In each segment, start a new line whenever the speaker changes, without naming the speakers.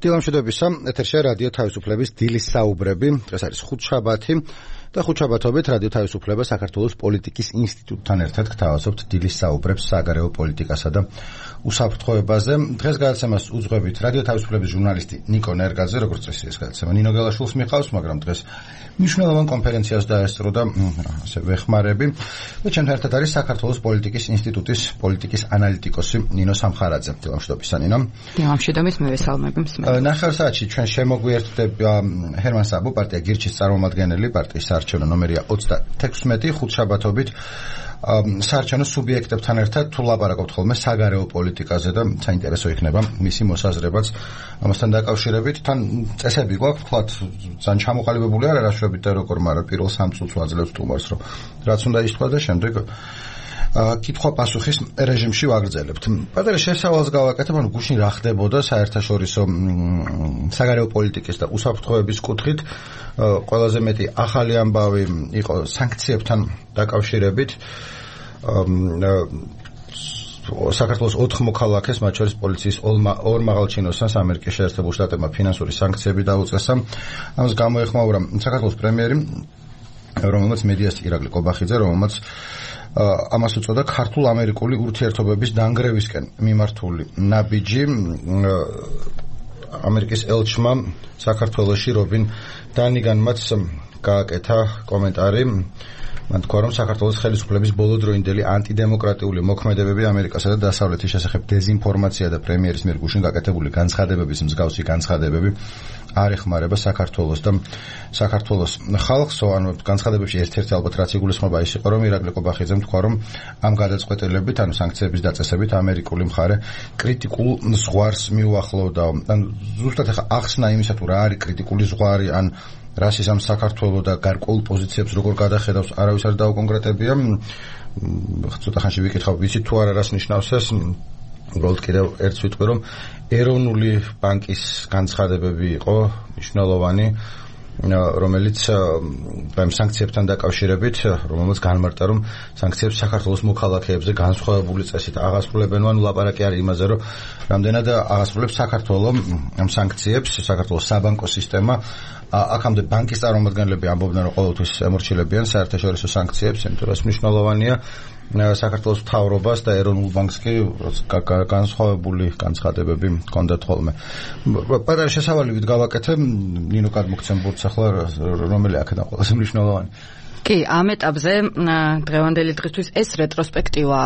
დილამშვიდობისა, ეთერშია რადიო თავისუფლების დილის საუბრები. დღეს არის ხუთშაბათი და ხუთშაბათობით რადიო თავისუფლება საქართველოს პოლიტიკის ინსტიტუტთან ერთად გთავაზობთ დილის საუბრებს საგარეო პოლიტიკასა და უსაფრთხოებაზე. დღეს გადაცემას უძღვებით რადიო თავისუფლების ჟურნალისტი ნიკო ნერგაძე, როგორც წესი ეს გადაცემა ნინო გელაშვილს მიყავს, მაგრამ დღეს მნიშვნელოვან კონფერენციას დაესწრო და ასე ვეხმარები. და ჩემთან ერთად არის საქართველოს პოლიტიკის ინსტიტუტის პოლიტიკის ანალიტიკოსი ნინო სამხარაძე. დილამშვიდობისა ნინო.
დილამშვიდობის, მე ვესალმები მსმენელს.
ნახევარ საათში ჩვენ შემოგვიერთდება ჰერმან საბო, პარტია გირჩის წარმომადგენელი, პარტიის საარჩევნო ნომერია 36, ხუთშაბათობით საარჩევნო სუბიექტებთან ერთად თუ ლაპარაკობთ ხოლმე საგარეო პოლიტიკაზე და საინტერესო იქნება მისი მოსაზრებაც ამასთან დაკავშირებით. თან წესები გვაქვს, ვთქვათ, ძალიან ჩამოყალიბებული არ არაშვებით და როგორ, მაგრამ პირველ 3 წუთს ვაძლევთ სტუმარს, რომ რაც უნდა ითქვა და შემდეგ კითხვა-პასუხის რეჟიმში ვაგრძელებთ. პატარა შესავალს გავაკეთებ, ანუ გუშინ რა ხდებოდა საერთაშორისო საგარეო პოლიტიკის და უსაფრთხოების კუთხით. ყველაზე მეტი ახალი ამბავი იყო სანქციებთან დაკავშირებით. საქართველოს 4 მოქალაქეს, მათ შორის პოლიციის 2 მაღალჩინოსანს ამერიკის შეერთებულ შტატებმა ფინანსური სანქციები დაუწესა. ამას გამოეხმაურა საქართველოს პრემიერი, რომელმაც მედიას ირაკლი კობახიძე, რომელმაც ამას უწოდა ქართულ-ამერიკული ურთიერთობების დანგრევისკენ მიმართული ნაბიჯი. ამერიკის ელჩმა საქართველოში რობინ დანიგანმაც გააკეთა კომენტარი. მან თქვა, რომ საქართველოს ხელისუფლების ბოლოდროინდელი ანტიდემოკრატიული მოქმედებები ამერიკასა და დასავლეთის შესახებ დეზინფორმაცია და პრემიერის მიერ გუშინ გაკეთებული განცხადებების მსგავსი განცხადებები არ ეხმარება საქართველოს და საქართველოს ხალხს. ანუ განცხადებებში ერთ-ერთი ალბათ რაც იგულისხმება ის იყო, რომ ირაკლი კობახიძემ თქვა, რომ ამ გადაწყვეტილებით, ანუ სანქციების დაწესებით ამერიკული მხარე კრიტიკულ ზღვარს მიუახლოვდა. ანუ ზუსტად ახლა ახსნა იმისა, თუ რა არის კრიტიკული ზღვარი, ან რას ისამ საქართველოს და გარკვეულ პოზიციებს როგორ გადახედავს, არავის არ დაუკონკრეტებია. ცოტა ხანში ვიკითხავ, ვიცით თუ არა რას ნიშნავს ეს. უბრალოდ კიდევ ერთს ვიტყვი, რომ ეროვნული ბანკის განცხადებები იყო მნიშვნელოვანი, რომელიც ამ სანქციებთან დაკავშირებით, რომელმაც განმარტა, რომ სანქციებს საქართველოს მოქალაქეებზე განსხვავებული წესით აღასრულებენ. ანუ ლაპარაკი არის იმაზე, რომ რამდენად აღასრულებს საქართველოს ამ სანქციებს საქართველოს საბანკო სისტემა. აქამდე ბანკის წარმომადგენლები ამბობდნენ, რომ ყოველთვის ემორჩილებიან საერთაშორისო სანქციებს, იმიტომ რომ ეს მნიშვნელოვანია საქართველოს მთავრობას და ეროვნულ ბანკს კი განსხვავებული განცხადებები ჰქონდათ ხოლმე. პატარა შესავალებით გავაკეთე, ნინო გადმოგცემ ბურთს ახლა რომელი აქედან ყველაზე მნიშვნელოვანი.
კი, ამ ეტაპზე დღევანდელი დღისთვის ეს რეტროსპექტივა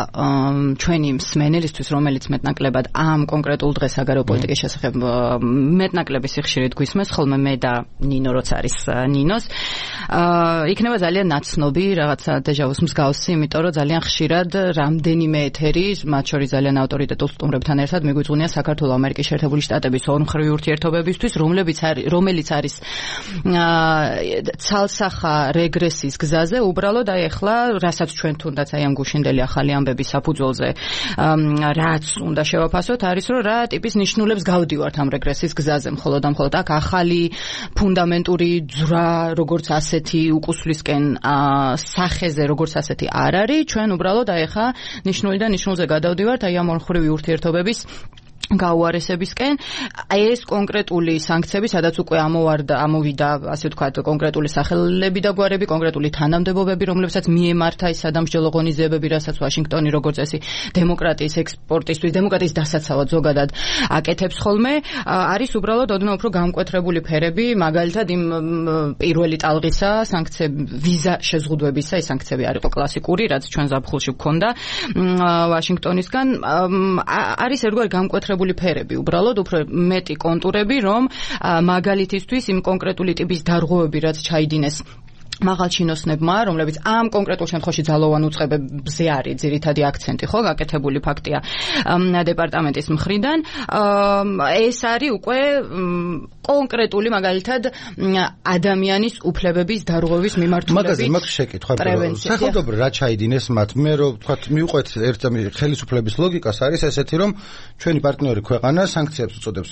ჩვენი მსმენელისთვის, რომელიც მეტნაკლებად ამ კონკრეტულ დღეს საგარეო პოლიტიკის შესახებ მეტნაკლების სიხშირით გვისმენს, ხოლმე მე და ნინო როც არის ნინოს, იქნება ძალიან ნაცნობი რაღაცა დეჟავუს მსგავსი, იმიტომ რომ ძალიან ხშირად რამდენიმე ეთერი, მათ შორის ძალიან ავტორიტეტულ სტუმრებთან ერთად მიგვიძღვნია საქართველოს ამერიკის შეერთებული შტატების ორმხრივი ურთიერთობებისთვის, რომელიც არის ცალსახა რეგრესის გზაზე. უბრალოდ აი ახლა რასაც ჩვენ თუნდაც აი ამ გუშინდელი ახალი ამბების საფუძველზე რაც უნდა შევაფასოთ, არის რომ რა ტიპის ნიშნულებს გავდივართ ამ რეგრესის გზაზე. მხოლოდ აქ ახალი ფუნდამენტური ძვრა როგორც ასეთი უკუსვლისკენ სახეზე როგორც ასეთი არ არის. ჩვენ უბრალოდ აი ახლა ნიშნულიდან ნიშნულზე გადავდივართ აი ამ ორმხრივი ურთიერთობების გაუარესებისკენ. ეს კონკრეტული სანქციები, სადაც უკვე ამოვიდა, ასე ვთქვათ, კონკრეტული სახელები და გვარები, კონკრეტული თანამდებობები, რომლებსაც მიემართა ის სადამსჯელო ღონისძიებები, რასაც ვაშინგტონი როგორც წესი დემოკრატიის ექსპორტისთვის, დემოკრატიის დასაცავად ზოგადად აკეთებს ხოლმე, არის უბრალოდ ოდნავ უფრო გამკვეთრებული ფერები, მაგალითად იმ პირველი ტალღისა სანქციები, ვიზა შეზღუდვებისა, ეს სანქციები არ იყო კლასიკური, რაც ჩვენ ზაფხულში გვქონდა ვაშინგტონისგან. არის ერთგვარი გამკვეთრებული ფერები, უბრალოდ უფრო მეტი კონტურები, რომ მაგალითისთვის იმ კონკრეტული ტიპის დარღვევები, რაც ჩაიდინეს მაღალჩინოსნებმა, რომლებიც ამ კონკრეტულ შემთხვევაში ძალოვან უწყებებზე არის ძირითადი აქცენტი, ხო, გაკეთებული ფაქტია დეპარტამენტის მხრიდან. ეს არის უკვე კონკრეტული მაგალითად ადამიანის უფლებების დარღვევის მიმართულებით.
მაგ შეკითხვა, სახელმწიფო რა ჩაიდინეს მათ? მე რომ ვთქვათ, მივყვეთ ერთ ხელისუფლების ლოგიკას, არის ესეთი, რომ ჩვენი პარტნიორი ქვეყანა სანქციებს უწოდებს,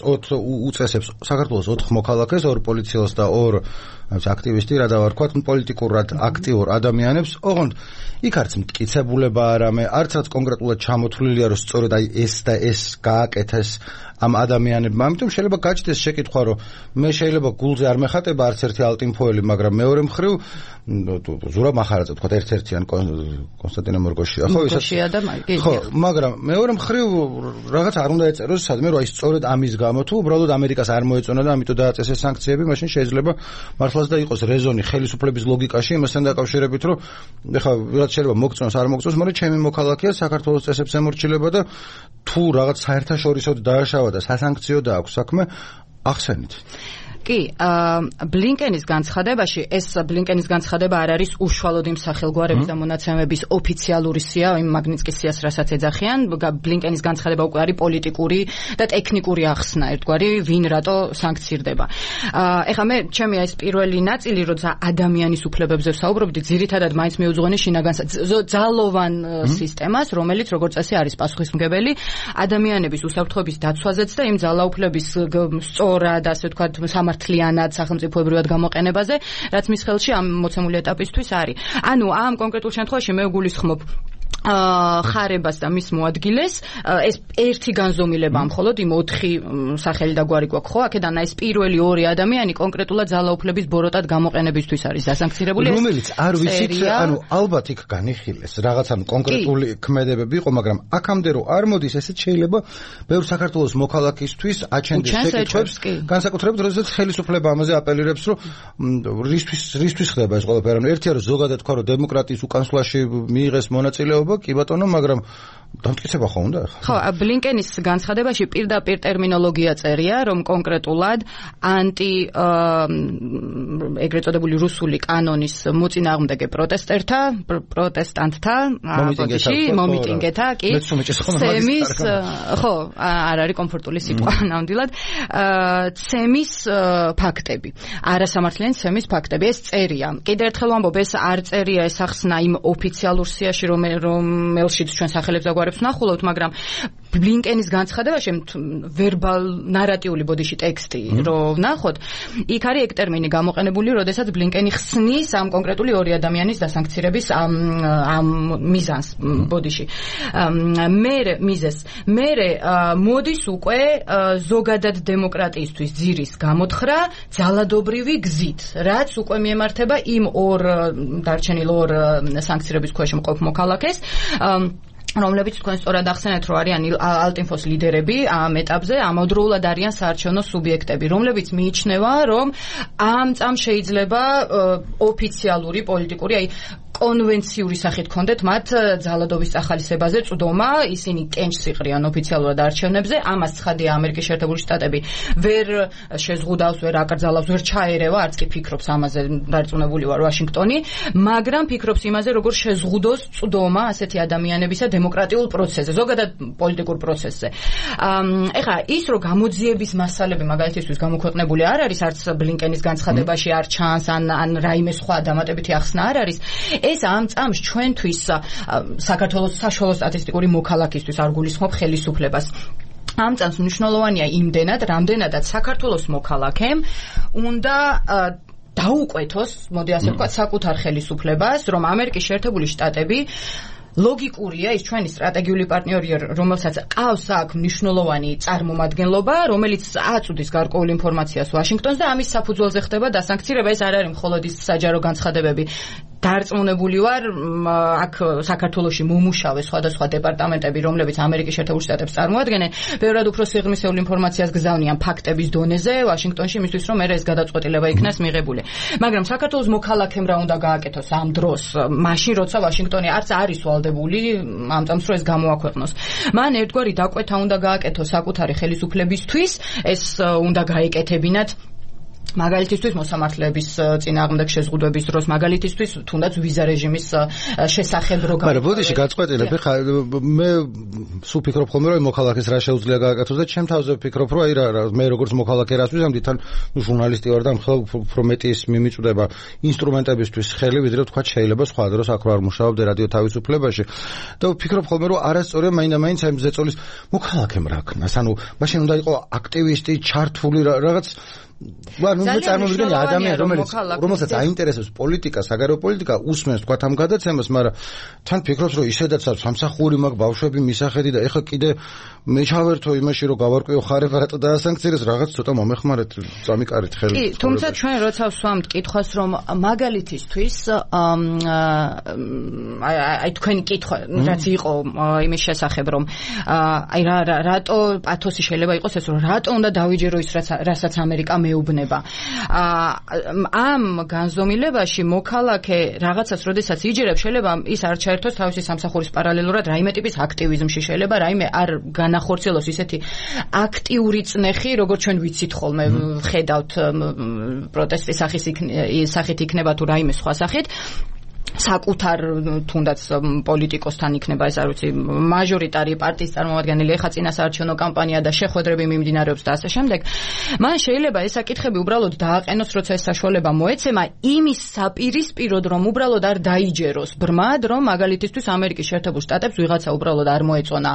უწესებს საქართველოს 4 მოქალაქეს, 2 პოლიციელს და 2 აქტივისტი, რა დავარქვათ, პოლიტიკურად აქტიურ ადამიანებს, ოღონდ იქ არც მტკიცებულება არამე, არც რაც კონკრეტულად ჩამოთვლილია, რომ სწორედ აი ეს და ეს გააკეთეს ამ ადამიანებმა. ამიტომ შეიძლება გაჩნდეს შეკითხვა, რომ მე შეიძლება გულზე არ მეხატება არც ერთი ალტინფოელი, მაგრამ მეორე მხრივ ზურაბ მახარაძე თქვა ერთ-ერთიან კონსტანტინე მორგოშია, ხო,
ისაა და
ხო, მაგრამ მეორე მხრივ რაღაც არ უნდა ეწეროს სადმე, რომ აი სწორედ ამის გამო თუ უბრალოდ ამერიკას არ მოეწონა და ამიტომ დააწესეს სანქციები, მაშინ შეიძლება მართლაც და იყოს რეზონი ხელისუფლების ლოგიკაში იმასთან დაკავშირებით, რომ ეხლა ვიღაც შეიძლება მოგწონს, არ მოგწონს, მაგრამ ჩემი მოქალაქეა საქართველოს წესებს ემორჩილება და თუ რაღაც საერთაშორისოდ დააშავა და სასანქციო დააქვს საქმე, ახსენით.
კი, ბლინკენის განცხადებაში ეს ბლინკენის განცხადება არ არის უშუალოდ იმ სახელგვარების და მონაცემების ოფიციალური სია, იმ მაგნიტსკის სიას, რასაც ეძახიან. ბლინკენის განცხადება უკვე არის პოლიტიკური და ტექნიკური ახსნა, ერთგვარი ვინ რატო სანქცირდება. ეხლა მე ჩემი ეს პირველი ნაწილი, როცა ადამიანის უფლებებზე ვსაუბრობდი, ძირითადად მაინც მიუძღვენი შინაგან ძალოვან სისტემას, რომელიც როგორც წესი არის პასუხისმგებელი ადამიანების უსაფრთხოების დაცვაზეც და იმ ძალაუფლების სწორად, ასე ვთქვათ, მართლიანად სახელმწიფოებრივად გამოყენებაზე, რაც მის ხელში ამ მოცემული ეტაპისთვის არის. ანუ ამ კონკრეტულ შემთხვევაში მე ვგულისხმობ ხარებას და მის მოადგილეს, ეს ერთი განზომილება მხოლოდ იმ 4 სახელი და გვარი გვაქვს, ხო? აქედან ეს პირველი 2 ადამიანი კონკრეტულად ძალაუფლების ბოროტად გამოყენებისთვის არის დასანქცირებული.
რომელიც არ ვიცით, ანუ ალბათ იქ განიხილეს რაღაც ანუ კონკრეტული ქმედებები იყო, მაგრამ აქამდე რომ არ მოდის, ესეც შეიძლება ბევრ საქართველოს მოქალაქისთვის აჩენდეს შეკითხვებს, განსაკუთრებით როდესაც ხელისუფლება ამაზე აპელირებს, რომ რისთვის ხდება ეს ყველაფერი. ანუ ერთია რომ ზოგადად თქვა, რომ დემოკრატიის უკანსვლაში მიიღეს მონაწილეობა, კი ბატონო, მაგრამ დამტკიცება ხო უნდა ახლა?
ხო, ბლინკენის განცხადებაში პირდაპირ ტერმინოლოგია წერია, რომ კონკრეტულად ეგრეთ წოდებული რუსული კანონის მოწინააღმდეგე პროტესტანტთა მომიტინგეთა, კი, ცემის, ხო, არ არის კომფორტული სიტყვა ნამდვილად, ცემის ფაქტები, არასამართლიანი ცემის ფაქტები, ეს წერია. კიდევ ერთხელ ვამბობ, ეს არ წერია, ეს ახსნა იმ ოფიციალურ სიაში, რომელშიც ჩვენ სახელებს ვნახულობთ, მაგრამ ბლინკენის განცხადებაში ნარატიული ბოდიში ტექსტი რო ვნახოთ, იქ არის ეგ ტერმინი გამოყენებული, როდესაც ბლინკენი ხსნის ამ კონკრეტული 2 ადამიანის დასანქცირების ამ მიზანს ბოდიში. მერე მოდის უკვე ზოგადად დემოკრატიისთვის ძირის გამოთხრა ძალადობრივი გზით, რაც უკვე მიემართება იმ დარჩენილ 2 სანქცირების ქვეშ მყოფ მოქალაქეს, რომლებიც თქვენ სწორად ახსენეთ, რომ არიან ალტინფოს ლიდერები ამ ეტაპზე, ამავდროულად არიან საარჩევნო სუბიექტები, რომლებიც მიიჩნევა, რომ ამ წამს შეიძლება ოფიციალური პოლიტიკური, აი კონვენციური სახით კონდეთ მათ ძალადობის ახალისებაზე წვდომა, ისინი კენჭს იყრიან ოფიციალურად არჩევნებზე, ამას ცხადია ამერიკის შეერთებული შტატები ვერ შეზღუდავს, ვერ აკრძალავს, ვერ ჩაერევა, არც კი ფიქრობს ამაზე, დარწმუნებული ვარ ვაშინგტონი, მაგრამ ფიქრობს იმაზე, როგორ შეზღუდოს წვდომა ასეთი ადამიანებისა დემოკრატიულ პროცესზე, ზოგადად პოლიტიკურ პროცესზე. ეხლა ის რომ გამოძიების მასალები მაგალითისთვის გამოქვეყნებული არ არის, არც ბლინკენის განცხადებაში არ ჩანს, ან რაიმე სხვა დამატებითი ახსნა არ არის. ეს ამ წამს ჩვენთვის საქართველოს საშუალო სტატისტიკური მოქალაქისთვის არ გულისხმობ ხელისუფლებას. ამ წამს მნიშვნელოვანია იმდენად, რამდენადაც საქართველოს მოქალაქემ უნდა დაუკვეთოს, მოდი ასე ვთქვათ, საკუთარ ხელისუფლებას, რომ ამერიკის შეერთებული შტატები ლოგიკურია ის ჩვენი სტრატეგიული პარტნიორია, რომელსაც ყავს აქ მნიშვნელოვანი წარმომადგენლობა, რომელიც აწვდის გარკვეულ ინფორმაციას ვაშინგტონს და ამის საფუძველზე ხდება დასანქცირება. ეს არ არის მხოლოდ ის საჯარო განცხადებები. დარწმუნებული ვარ, აქ საქართველოში მომუშავე სხვადასხვა დეპარტამენტები, რომლებიც ამერიკის შეერთებულ შტატებს წარმოადგენენ, ბევრად უფრო სიღრმისეულ ინფორმაციას გზავნიან ფაქტების დონეზე ვაშინგტონში, იმისთვის რომ ეს გადაწყვეტილება იქნას მიღებული. მაგრამ საქართველოს მოქალაქემ რა უნდა გააკეთოს ამ დროს, მაშინ როცა ვაშინგტონი არც არის ვალდებული ამ წამს რომ ეს გამოაქვეყნოს. მან ერთგვარი დაკვეთა უნდა გააკეთოს საკუთარი ხელისუფლებისთვის, ეს უნდა გაეკეთებინათ მაგალითისთვის მოსამართლეების წინააღმდეგ შეზღუდვების დროს, მაგალითისთვის თუნდაც ვიზა რეჟიმის შესახებ რო
მაგრამ ბოდიში გაწყვეტილებ, ხა მე სულ ფიქრობ ხოლმე რომ მოქალაქეს რა შეუძლია გააკეთოს და ჩემ თავზე ვფიქრობ რომ აი მე როგორც მოქალაქე რას ვიზამდი, თან ჟურნალისტი ვარ და მხოლოდ უფრო მეტი ის მიმიწვდება ინსტრუმენტებისთვის ხელი, ვიდრე თქვა შეიძლება სხვა დროს აქ არ მუშაობდე რადიო თავისუფლებაში და ვფიქრობ ხოლმე რომ არასწორია მაინდა-მაინც ამ ზეწოლის მოქალაქემ რა ქნას, ანუ მაშინ უნდა იყო აქტივისტი, ჩართული რაღაც ნუ წარმოვიდგინე ადამიანი რომელსაც აინტერესებს პოლიტიკა, საგარეო პოლიტიკა, უსმენს თქვა ამ გადაცემას, მაგრამ თან ფიქრობს რომ ისედაც სამსახური მაქვს, ბავშვები, მისახედი და ეხლა კიდე მე ჩავერთო იმაში რომ გავარკვიო ხარება რატო დაასანქცირეს, რაღაც ცოტა მომეხმარეთ, წამიკარით ხელი.
კი, თუმცა ჩვენ როცა ვსვამთ კითხვას რომ მაგალითისთვის აი თქვენი კითხვა რაც იყო იმის შესახებ რომ აი რატო პათოსი შეიძლება იყოს ეს რომ რატო უნდა დავიჯერო ის რასაც ამერიკა მეუბნება. ამ განზომილებაში მოქალაქე რაღაცას როდესაც იჯერებს შეიძლება ის არ ჩაერთოს თავისი სამსახურის პარალელურად რაიმე ტიპის აქტივიზმში, შეიძლება რაიმე არ განახორციელოს ისეთი აქტიური წნეხი როგორც ჩვენ ვიცით ხოლმე ხედავთ პროტესტის სახით იქნება თუ რაიმე სხვა სახით საკუთარ თუნდაც პოლიტიკოსთან იქნება ეს არ ვიცი მაჟორიტარი პარტიის წარმომადგენელი ეხა წინასაარჩევნო კამპანია და შეხვედრები მიმდინარეობს და ასე შემდეგ. მან შეიძლება ეს საკითხები უბრალოდ დააყენოს, როცა ეს საშუალება მოეცემა იმის საპირისპიროდ, რომ უბრალოდ არ დაიჯეროს ბრმად, რომ მაგალითისთვის ამერიკის შეერთებულ შტატებს ვიღაცა უბრალოდ არ მოეწონა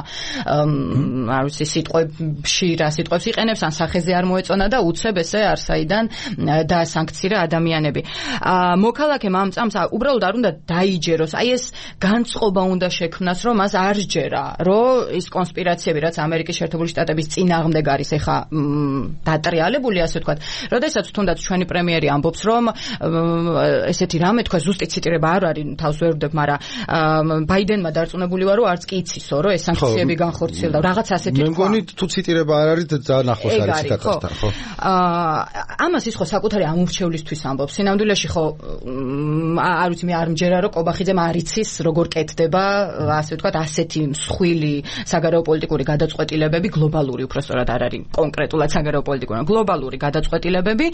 არ ვიცი სიტყვებში რა სიტყვებს იყენებს ან სახეზე არ მოეწონა და უცებ ესე არსაიდან დაასანქცირა ადამიანები. მოქალაქემ ამ წამს უბრალოდ არ უნდა დაიჯეროს, აი ეს განწყობა უნდა შექმნას, რომ მას არ სჯერა, რომ ის კონსპირაციები, რაც ამერიკის შეერთებული შტატების წინააღმდეგ არის ეხა დატრიალებული, ასე ვთქვათ. როდესაც თუნდაც ჩვენი პრემიერი ამბობს, რომ ესეთი რამე თქვა ზუსტი ციტირება არ არის, თავს ვერ ვდებ, მაგრამ ბაიდენმა დარწმუნებული ვარ, რომ არც კი იცისო, რომ ეს სანქციები განხორციელდა, რაღაც ასეთი თქვა.
მე მგონი თუ ციტირება არ არის, ძალიან ახლოს არის ციტატასთან, ხო?
ამას ის ხო საკუთარი ამორჩევლისთვის ამბობს. სინამდვილეში ხო არ ვიცი მე არ ჯერა რომ კობახიძემ არ იცის როგორ კეთდება ასე ვთქვათ ასეთი მსხვილი საგარეო პოლიტიკური გადაწყვეტილებები გლობალური უბრალოდ არ არის კონკრეტულად საგარეო პოლიტიკური გლობალური გადაწყვეტილებები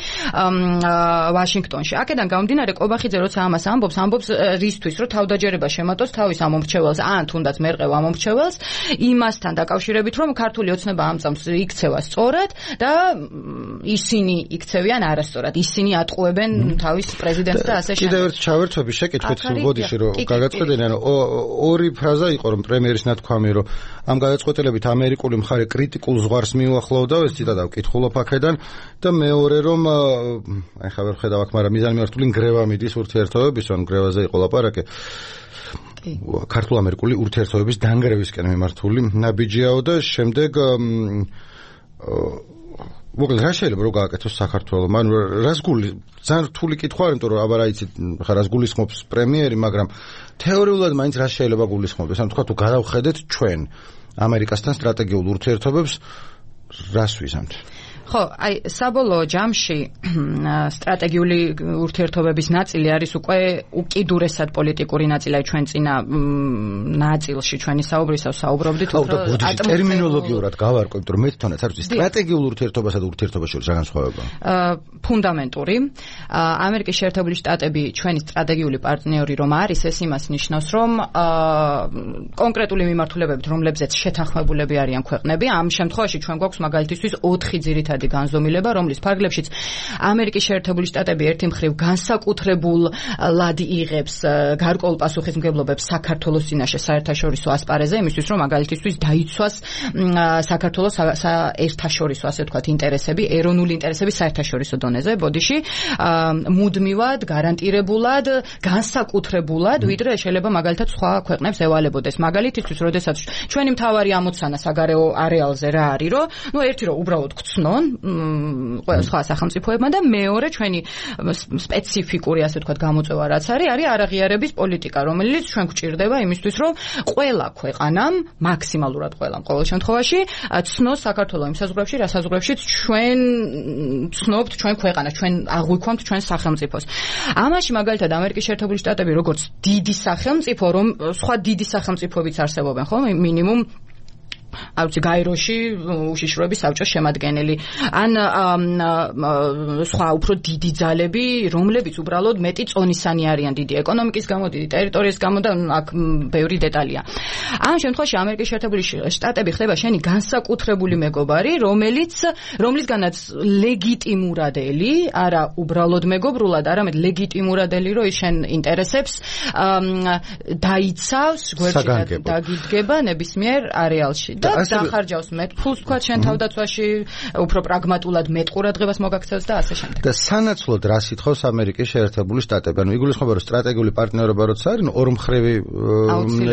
ვაშინგტონში. აქედან გამომდინარე კობახიძე როცა ამას ამბობს რისთვის რომ თავდაჯერება შემატოს თავის ამომრჩეველს ან თუნდაც მერყევ ამომრჩეველს იმასთან დაკავშირებით რომ ქართული ოცნება ამ წამს იქცევა სწორად და ისინი იქცევიან არასწორად. ისინი ატყუებენ თავის პრეზიდენტს და ასე შემდეგ.
კიდევ ერთ ჩავერთვები შეკითხვით ბოდიში რომ გადაწყვეტილდნენ ორი ფრაზა იყო რომ პრემიერის ნათქვამი რომ ამ გადაწყვეტილებით ამერიკული მხარე კრიტიკულ ზღვარს მიუახლოვდა, ეს ციტატა ვკითხულობ აქედან და მეორე რომ აი ხა ვერ ხედავ აქ, მაგრამ მიზანმიმართული ნგრევა მიდის ურთიერთობების, ან ნგრევაზე იყო ლაპარაკი. ქართულ-ამერიკული ურთიერთობების დანგრევისკენ მიმართული ნაბიჯიაო და შემდეგ მოკლედ რა შეიძლება რომ გააკეთოს საქართველოს? მან რას გული ძალიან რთული კითხვა არის, იმიტომ რომ აბა რა იცით ხა რას გულისხმობს პრემიერი, მაგრამ თეორიულად მაინც რა შეიძლება გულისხმობდეს? ან თქვა თუ გადავხედეთ ჩვენ ამერიკასთან სტრატეგიულ ურთიერთობებს, რას ვიზამთ?
ხო, აი საბოლოო ჯამში სტრატეგიული ურთიერთობების ნაწილი არის უკვე უკიდურესად პოლიტიკური ნაწილი, ჩვენ წინა ნაწილში ჩვენი საუბრისას საუბრობდით
უფრო ტერმინოლოგიურად გავარკვევთ, რომ მე თვითონაც არ ვიცი სტრატეგიულ ურთიერთობასა და ურთიერთობაში შორის რა განსხვავება. ფუნდამენტური. ამერიკის შეერთებული შტატები ჩვენი სტრატეგიული პარტნიორი რომ არის, ეს იმას ნიშნავს, რომ კონკრეტული მიმართულებებით, რომლებზეც შეთანხმებულები არიან ქვეყნები, ამ შემთხვევაში ჩვენ გვაქვს მაგალითისთვის 4 ძირითადი განზომილება, რომლის ფარგლებშიც ამერიკის შეერთებული შტატები ერთი მხრივ განსაკუთრებულად იღებს გარკვეულ პასუხისმგებლობებს საქართველოს წინაშე საერთაშორისო ასპარეზზე, იმისთვის რომ მაგალითისთვის დაიცვას საქართველოს საერთაშორისო ასე ვთქვათ ინტერესები, ეროვნული ინტერესები საერთაშორისო დონეზე, ბოდიში მუდმივად, გარანტირებულად, განსაკუთრებულად, ვიდრე შეიძლება მაგალითად სხვა ქვეყნებს ევალებოდეს. მაგალითისთვის, როდესაც ჩვენი მთავარი ამოცანა საგარეო არეალზე რა არის, რომ ნუ ერთი რომ უბრალოდ გწნონ ყველა სხვა სახელმწიფოებმა და მეორე ჩვენი სპეციფიკური ასე ვთქვათ გამოწვევა რაც არის არაღიარების პოლიტიკა, რომელიც ჩვენ გვჭირდება იმისთვის, რომ ყველა ქვეყანამ მაქსიმალურად ყველამ ყოველ შემთხვევაში ცნოს საქართველოს იმ საზღვრებში, რა საზღვრებშიც ჩვენ ცნობთ ჩვენ ქვეყანას, ჩვენ აღვიქვამთ ჩვენ სახელმწიფოს. ამაში მაგალითად ამერიკის შეერთებული შტატები როგორც დიდი სახელმწიფო, რომ სხვა დიდი სახელმწიფოებიც არსებობენ, ხო, მინიმუმ არ ვიცი გაეროში უშიშროების საბჭოს შემადგენელი ან სხვა უფრო დიდი ძალები, რომლებიც უბრალოდ მეტი წონისანი არიან დიდი ეკონომიკის გამო, დიდი ტერიტორიის გამო და აქ ბევრი დეტალია. ამ შემთხვევაში ამერიკის შეერთებული შტატები ხდება შენი განსაკუთრებული მეგობარი, რომლისგანაც ლეგიტიმურად ელი, არა უბრალოდ მეგობრულად, არამედ ლეგიტიმურად ელი, რომ ის შენ ინტერესებს დაიცავს, გვერდში დაგიდგება ნებისმიერ არეალში.
და დახარჯავს მეტ ფულს თქვა შენ თავდაცვაში, უფრო პრაგმატულად მეტ ყურადღებას მოგაქცევს და ასე შემდეგ.
და სანაცვლოდ რა სიტყავს ამერიკის შეერთებული შტატები? ანუ იგულისხმება, რომ სტრატეგიული პარტნიორობა როცა არის, ორმხრივი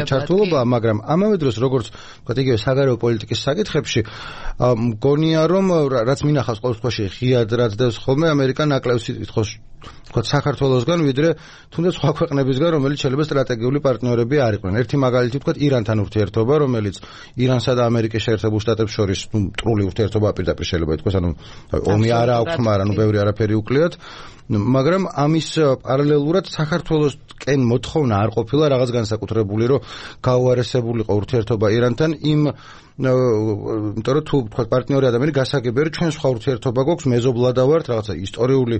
ჩართულობა, მაგრამ ამავე დროს როგორც ვთქვათ, იგივე საგარეო პოლიტიკის საკითხებში მგონია, რომ რაც მინახავს ყოველ შემთხვევაში ღიად რაც დევს ხოლმე ამერიკა ნაკლებს სიტყვის ვთქვათ საქართველოსგან, ვიდრე თუნდაც სხვა ქვეყნებისგან, რომელიც შეიძლება სტრატეგიული პარტნიორები არ იყვნენ. ერთი მაგალითი ვთქვათ ირანთან ურთიერთობა, რომელიც ირანსა და ამერიკის შეერთებულ შტატებს შორის მტრული ურთიერთობა პირდაპირ შეიძლება ითქვას, ანუ ომი არ აქვს, მაგრამ ბევრი არაფერი უკლიათ. მაგრამ ამის პარალელურად საქართველოსკენ მოთხოვნა არ ყოფილა რაღაც განსაკუთრებული, რომ გაუარესებულიყო ურთიერთობა ირანთან იმ იმიტომ რომ თუ ვთქვათ პარტნიორი ადამიანი გასაგებია, რომ ჩვენ სხვა ურთიერთობა გვაქვს, მეზობლადა ვართ, რაღაცა ისტორიული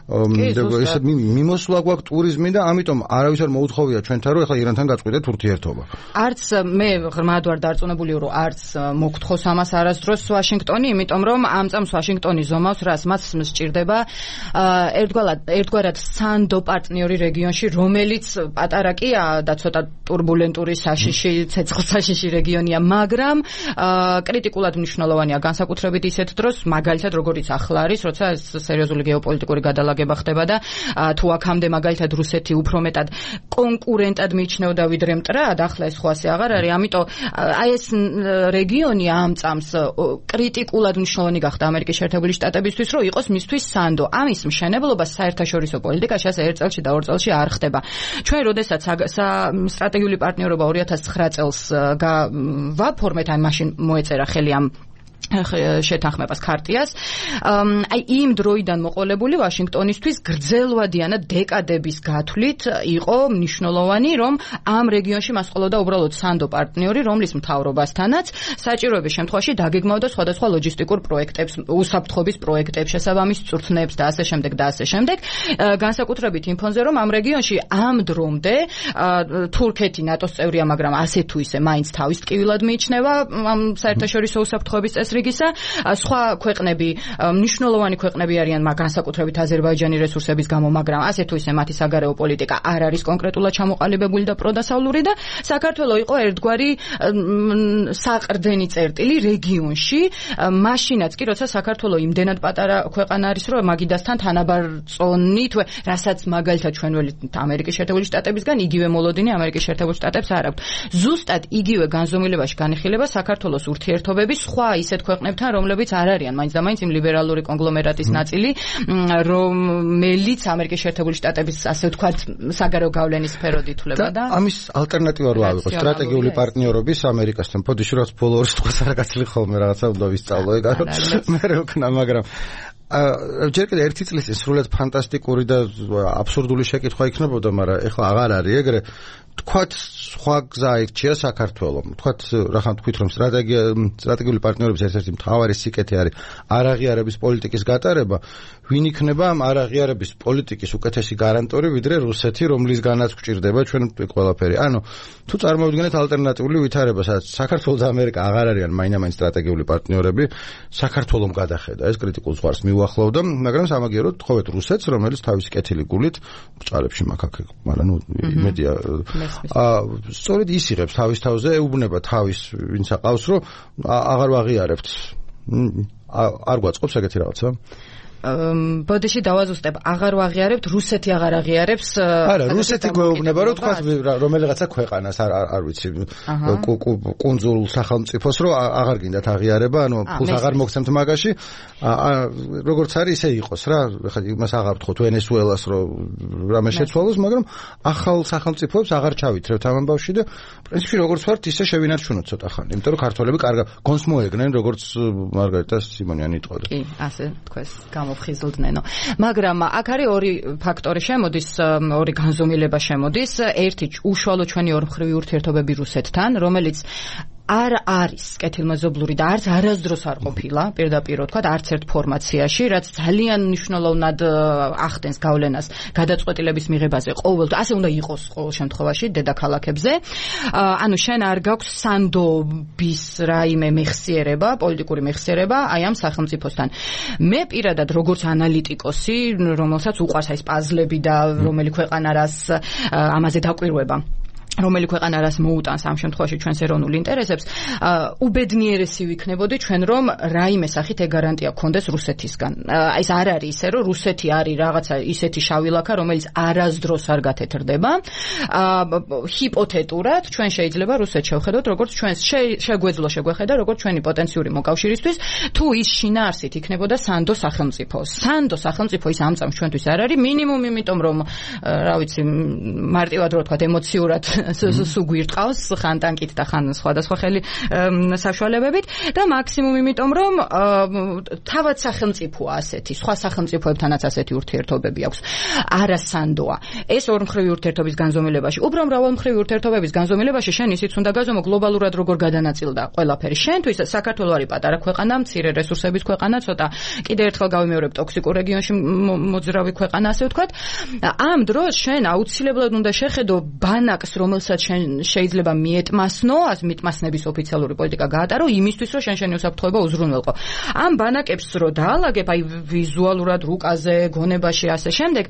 ესე მიმოსვლა გვაქვს ტურიზმი და ამიტომ არავის არ მოუთხოვია ჩვენთან, რომ ეხლა ირანთან გაწყვეტეთ ურთიერთობა.
არც მე ღრმად ვარ დარწმუნებული, რომ არც მოგთხოვს ამას არასდროს ვაშინგტონი, იმიტომ რომ ამ წამს ვაშინგტონი ზომავს, რას მას სჭირდება ერთგვარად სანდო პარტნიორი რეგიონში, რომელიც პატარა კია და ცოტა турბულენტური საშიში, ცეცხლსაშიში რეგიონია, მაგრამ კრიტიკულად მნიშვნელოვანია განსაკუთრებით ისეთ დროს, მაგალითად როგორიც ახლა არის, როცა ეს სერიოზული გეოპოლიტიკური გადალაგება ხდება და თუ აქამდე მაგალითად რუსეთი უფრო მეტად კონკურენტად მიიჩნეოდა ვიდრე მტრად, ახლა ეს ხო ასე აღარ არის, ამიტომ აი ეს რეგიონი ამ წამს კრიტიკულად მნიშვნელოვანი გახდა ამერიკის შეერთებული შტატებისთვის, რომ იყოს მისთვის სანდო. ამის მშენებლობა საერთაშორისო პოლიტიკაში ასე ერთ წელში და ორ წელში არ ხდება. ჩვენ როდესაც სტრატეგიული პარტნიორობა 2009 წელს ვაფორმეთ, აი მაშინ მოეწერა ხელი ამ შეთანხმებას ქარტიას. აი იმ დროიდან მოყოლებული ვაშინგტონისთვის გრძელვადიანად დეკადების გათვლით იყო მნიშვნელოვანი, რომ ამ რეგიონში მას ყოლოდა უბრალოდ სანდო პარტნიორი, რომლის მთავრობასთანაც საჭიროების შემთხვევაში დაგეგმავდა სხვადასხვა ლოჯისტიკურ პროექტებს, უსაფრთხოების პროექტებს, შესაბამის წვრთნებს და ასე შემდეგ და ასე შემდეგ. განსაკუთრებით იმ ფონზე, რომ ამ რეგიონში ამ დრომდე თურქეთი ნატოს წევრია, მაგრამ ასე თუ ისე მაინც თავის ტკივილად მიიჩნევა ამ საერთაშორისო უსაფრთხოების რიგისა, სხვა ქვეყნები, მნიშვნელოვანი ქვეყნები არიან, განსაკუთრებით აზერბაიჯანი რესურსების გამო, მაგრამ ასე თუ ისე მათი საგარეო პოლიტიკა არ არის კონკრეტულად ჩამოყალიბებული და პროდასავლური და საქართველო იყო ერთგვარი საყრდენი წერტილი რეგიონში, მაშინაც კი, როცა საქართველო იმდენად პატარა ქვეყანა არის, რომ მაგიდასთან თანაბარწონით, რასაც მაგალითად ჩვენ ველით ამერიკის შეერთებული შტატებისგან, იგივე მოლოდინი ამერიკის შეერთებულ შტატებს არ აქვს. ზუსტად იგივე განზომილებაში განიხილება საქართველოს ურთიერთობები სხვა ისეთ ქვეყნებთან, რომლებიც არ არიან მაინც და მაინც იმ ლიბერალური კონგლომერატის ნაწილი, რომელიც ამერიკის შეერთებული შტატების ასე ვთქვათ საგარეო გავლენის სფეროდ ითვლება და
ამის ალტერნატივა რო ავიღოთ სტრატეგიული პარტნიორობის ამერიკასთან. ფოდიში რაც ბოლო ორ სიტყვას არ გაცლი ხოლმე რაღაცა უნდა ვისწავლო ეგ არა მე რო ვქნა, მაგრამ ჯერ კიდე ერთი წლის წინ სრულად ფანტასტიკური და აბსურდული შეკითხვა იქნებოდა, მაგრამ ეხლა აღარ არის ეგრე. თქვათ სხვა გზა იქჩია საქართველომ. თქვათ რახან თქვით, რომ სტრატეგიული პარტნიორობის ერთ-ერთი მთავარი სიკეთე არის არაღიარების პოლიტიკის გატარება. ვინ იქნება ამ არაღიარების პოლიტიკის უკეთესი გარანტორი ვიდრე რუსეთი, რომლისგანაც გვჭირდება ჩვენ ყველაფერი. ანუ თუ წარმოვიდგინეთ ალტერნატიული ვითარება, სადაც საქართველო და ამერიკა აღარ არიან მაინც სტრატეგიული პარტნიორები, საქართველომ გადახედა ეს კრიტიკულ ზღვარს მიუახლოვდა, მაგრამ სამაგიეროდ თხოვეთ რუსეთს, რომელიც თავისი კეთილი გულით ბჭყალებში მაქაქ, მაგრამ ნუ იმედია სწორედ ის იღებს თავის თავზე, ეუბნება თავის ვინც აყავს, რომ აღარ ვაღიარებთ. არ გვაწყობს ეგეთი რაღაცა?
ბოდიში დავაზუსტებ, აღარ ვაღიარებთ, რუსეთი აღარ აღიარებს.
არა, რუსეთი გვეუბნება, რომ თქვა რომელიღაცა ქვეყანას არ ვიცი, კუნძულ სახელმწიფოს, რომ აღარ გინდათ აღიარება, ანუ ფულს აღარ მოგცემთ მაგაში. როგორც არის ისე იყოს რა, ხა იმას აღარ ვთხოვთ ვენესუელას, რომ რამე შეცვალოს, მაგრამ ახალ სახელმწიფოებს აღარ ჩავითრევთ ამ ამბავში და პრინციპში როგორც ვართ, ისე შევინარჩუნოთ ცოტა ხანი, იმიტომ რომ ქართველები კარგად გონს მოეგნენ, როგორც მარგარიტა სიმონიანი იტყოდა.
კი, ასე თქვეს. მოფხიზლდნენო. მაგრამ აქ არის ორი ფაქტორი შემოდის, ორი განზომილება შემოდის. ერთი უშუალო ჩვენი ორმხრივი ურთიერთობები რუსეთთან, რომელიც არ არის კეთილმეზობლური და არც არასდროს არ ყოფილა, პირდაპირ ვთქვათ, არც ერთ ფორმაციაში, რაც ძალიან მნიშვნელოვნად ახდენს გავლენას გადაწყვეტილების მიღებაზე ყოველ, ასე უნდა იყოს ყოველ შემთხვევაში დედაქალაქებზე. ანუ შენ არ გაქვს სანდობის რაიმე მეხსიერება, პოლიტიკური მეხსიერება აი ამ სახელმწიფოსთან. მე პირადად როგორც ანალიტიკოსი, რომელსაც უყვარს ეს პაზლები და რომელი ქვეყანა რას ამაზე დაკვირვება რომელი ქვეყანა რას მოუტანს ამ შემთხვევაში ჩვენს ეროვნულ ინტერესებს, უბედნიერესი ვიქნებოდი ჩვენ, რომ რაიმე სახით ეგ გარანტია გქონდეს რუსეთისგან. ეს არ არის ისე, რომ რუსეთი არის რაღაცა ისეთი შავი ლაქა, რომელიც არასდროს არ გათეთრდება. ჰიპოთეტურად ჩვენ შეიძლება რუსეთს შევხედოთ, როგორც ჩვენს შეგვეძლო შეგვეხედა, როგორც ჩვენი პოტენციური მოკავშირისთვის, თუ ის შინაარსით იქნებოდა სანდო სახელმწიფო. სანდო სახელმწიფო ის ამ წამს ჩვენთვის არ არის, მინიმუმ იმიტომ, რომ რა ვიცი, მარტივად რო ვთქვათ, ემოციურად სუგვირტყავს ხან ტანკით და ხან სხვადასხვა ხელი საშუალებებით და მაქსიმუმ იმიტომ რომ თავად სახელმწიფოა ასეთი, სხვა სახელმწიფოებთანაც ასეთი ურთიერთობები აქვს. არა სანდოა. ეს ორმხრივი ურთიერთობის განზომილებაში, უფრო მრავალმხრივი ურთიერთობების განზომილებაში შენ ისიც უნდა გაზომო გლობალურად როგორ გადანაწილდა ყველაფერი. შენთვის საქართველო არის პატარა ქვეყანა, მცირე რესურსების ქვეყანა, ცოტა კიდევ ერთხელ გავიმეორებ ტოქსიკურ რეგიონში მოძრავი ქვეყანა, ასე ვთქვათ. ამ დროს შენ აუცილებლად უნდა შეხედო ბანაკს, რომელსაც შენ შეიძლება მიეტმასნო, მიტმასნების ოფიციალური პოლიტიკა გაატარო იმისთვის, რომ შენი უსაფრთხოება უზრუნველყო. ამ ბანაკებს რო დაალაგებ, აი ვიზუალურად რუკაზე, გონებაში, ასე შემდეგ,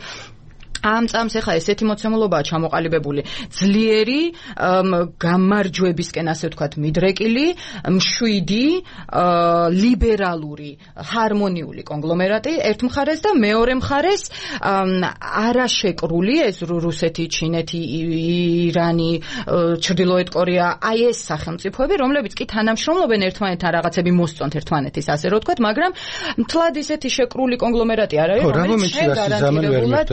ამ წამს ახლა ესეთი მოცემულობაა ჩამოყალიბებული, ძლიერი გამარჯვებისკენ, ასე ვთქვათ, მიდრეკილი, მშვიდი, ლიბერალური, ჰარმონიული კონგლომერატი ერთ მხარეს და მეორე მხარეს არაშეკრული, ეს რუსეთი, ჩინეთი, ირანი, ჩრდილოეთ კორეა, აი ეს სახელმწიფოები, რომლებიც კი თანამშრომლობენ ერთმანეთთან, რაღაცები მოსწონთ ერთმანეთის, ასე რო ვთქვათ, მაგრამ მთლად ისეთი შეკრული კონგლომერატი არ არის, რომელიც შეგარანტირებულად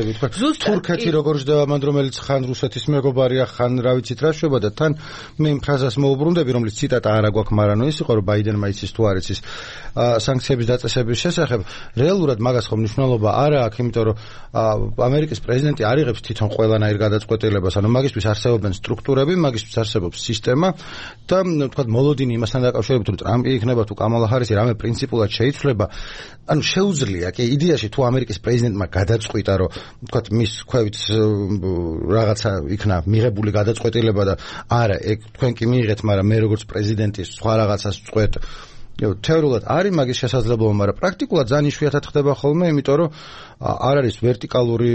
თურქეთი როგორ ჯდება მან, რომელიც ხან რუსეთის მეგობარია, ხან რა ვიცით რა შვება და თან მე იმ ფრაზას მოუბრუნდები, რომელიც ციტატა არ აქვს, მაგრამ ის იყო, რომ ბაიდენმა იცის თუ არ იცის სანქციების დაწესების შესახებ. რეალურად მაგას ხომ მნიშვნელობა არ აქვს, იმიტომ რომ ამერიკის პრეზიდენტი არ იღებს თვითონ ყველანაირ გადაწყვეტილებას, ანუ მაგისთვის არსებობენ სტრუქტურები, მაგისთვის არსებობს სისტემა და თქვათ მოლოდინი იმასთან დაკავშირებით, რომ ტრამპი იქნება თუ კამალა ჰარისი რამე პრინციპულად შეიცვლება, ანუ შეუძლია კი იდეაში თუ ამერიკის პრეზიდენტმა გადაწყვიტა, რომ თქვათ მის ქვევით რაღაცა იქნა მიღებული გადაწყვეტილება და არა, ეგ თქვენ კი მიიღეთ, მაგრამ მე როგორც პრეზიდენტი სხვა რაღაცას წყვეთ. თეორიულად არის მაგის შესაძლებლობა, მაგრამ პრაქტიკულად ძალიან იშვიათად ხდება ხოლმე, იმიტომ რომ არ არის ვერტიკალური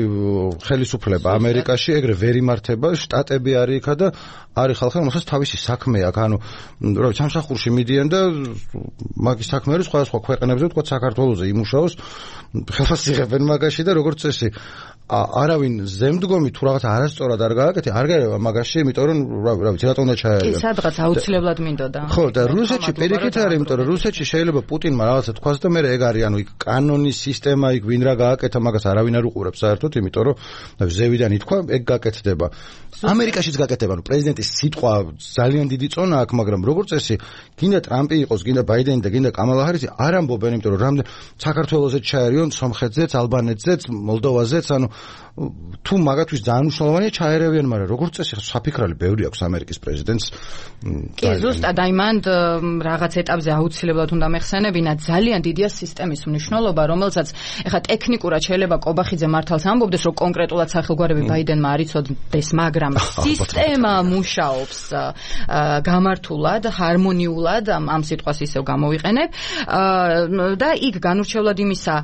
ხელისუფლება ამერიკაში, ეგრე ვერ იმართება, შტატები არის იქა და არის ხალხი, რომელსაც თავისი საქმე აქვს, ანუ რა ვიცი, სამსახურში მიდიან და მაგის საქმე არის სხვადასხვა ქვეყნებზე, თქვა საქართველოზე იმუშაოს, ხელს იღებენ მაგაში და როგორც წესი არავინ ზემდგომი თუ რაღაცა არასწორად არ გააკეთე, არ გაერევა მაგაში, იმიტომ რომ რა ვიცი, რატომ უნდა ჩაერევა.
კი, სადღაც აუცილებლად მინდოდა.
ხო, და რუსეთში პირიქით არის, იმიტომ რომ რუსეთში შეიძლება პუტინმა რაღაცა თქვას და მე ეგ არის, ანუ იქ კანონის სისტემა, იქ ვინ რა გააკეთა, მაგას არავინ არ უყურებს საერთოდ, იმიტომ რომ ზევიდან ითქვა, ეგ გაკეთდება. ამერიკაშიც გაკეთდება, ანუ პრეზიდენტის სიტყვა ძალიან დიდი წონა აქვს, მაგრამ როგორც წესი, გინდა ტრამპი იყოს, გინდა ბაიდენი და გინდა კამალა ჰარისი არ ამბობენ, იმიტომ რომ რამდენ საქართველოსაც ჩაერიონ, სომხეთზეც, ალბანეთზეც, მოლდოვაზეც, ანუ თუ მაგათთვის ძალიან მნიშვნელოვანია ჩაერევიან, მაგრამ როგორც წესი საფიქრალი ბევრი აქვს ამერიკის პრეზიდენტს.
კი, ზუსტად აი მან რაღაც ეტაპზე აუცილებლად უნდა მეხსენებინა, ძალიან დიდია სისტემის მნიშვნელობა, რომელსაც ეხლა ტექნიკურად შეიძლება კობახიძე მართალს ამბობდეს, რომ კონკრეტულად სახელგვარები ბაიდენმა არ იცოდეს, მაგრამ სისტემა მუშაობს გამართულად, ჰარმონიულად, ამ სიტყვას ისევ გამოვიყენებ და იქ განურჩევლად იმისა,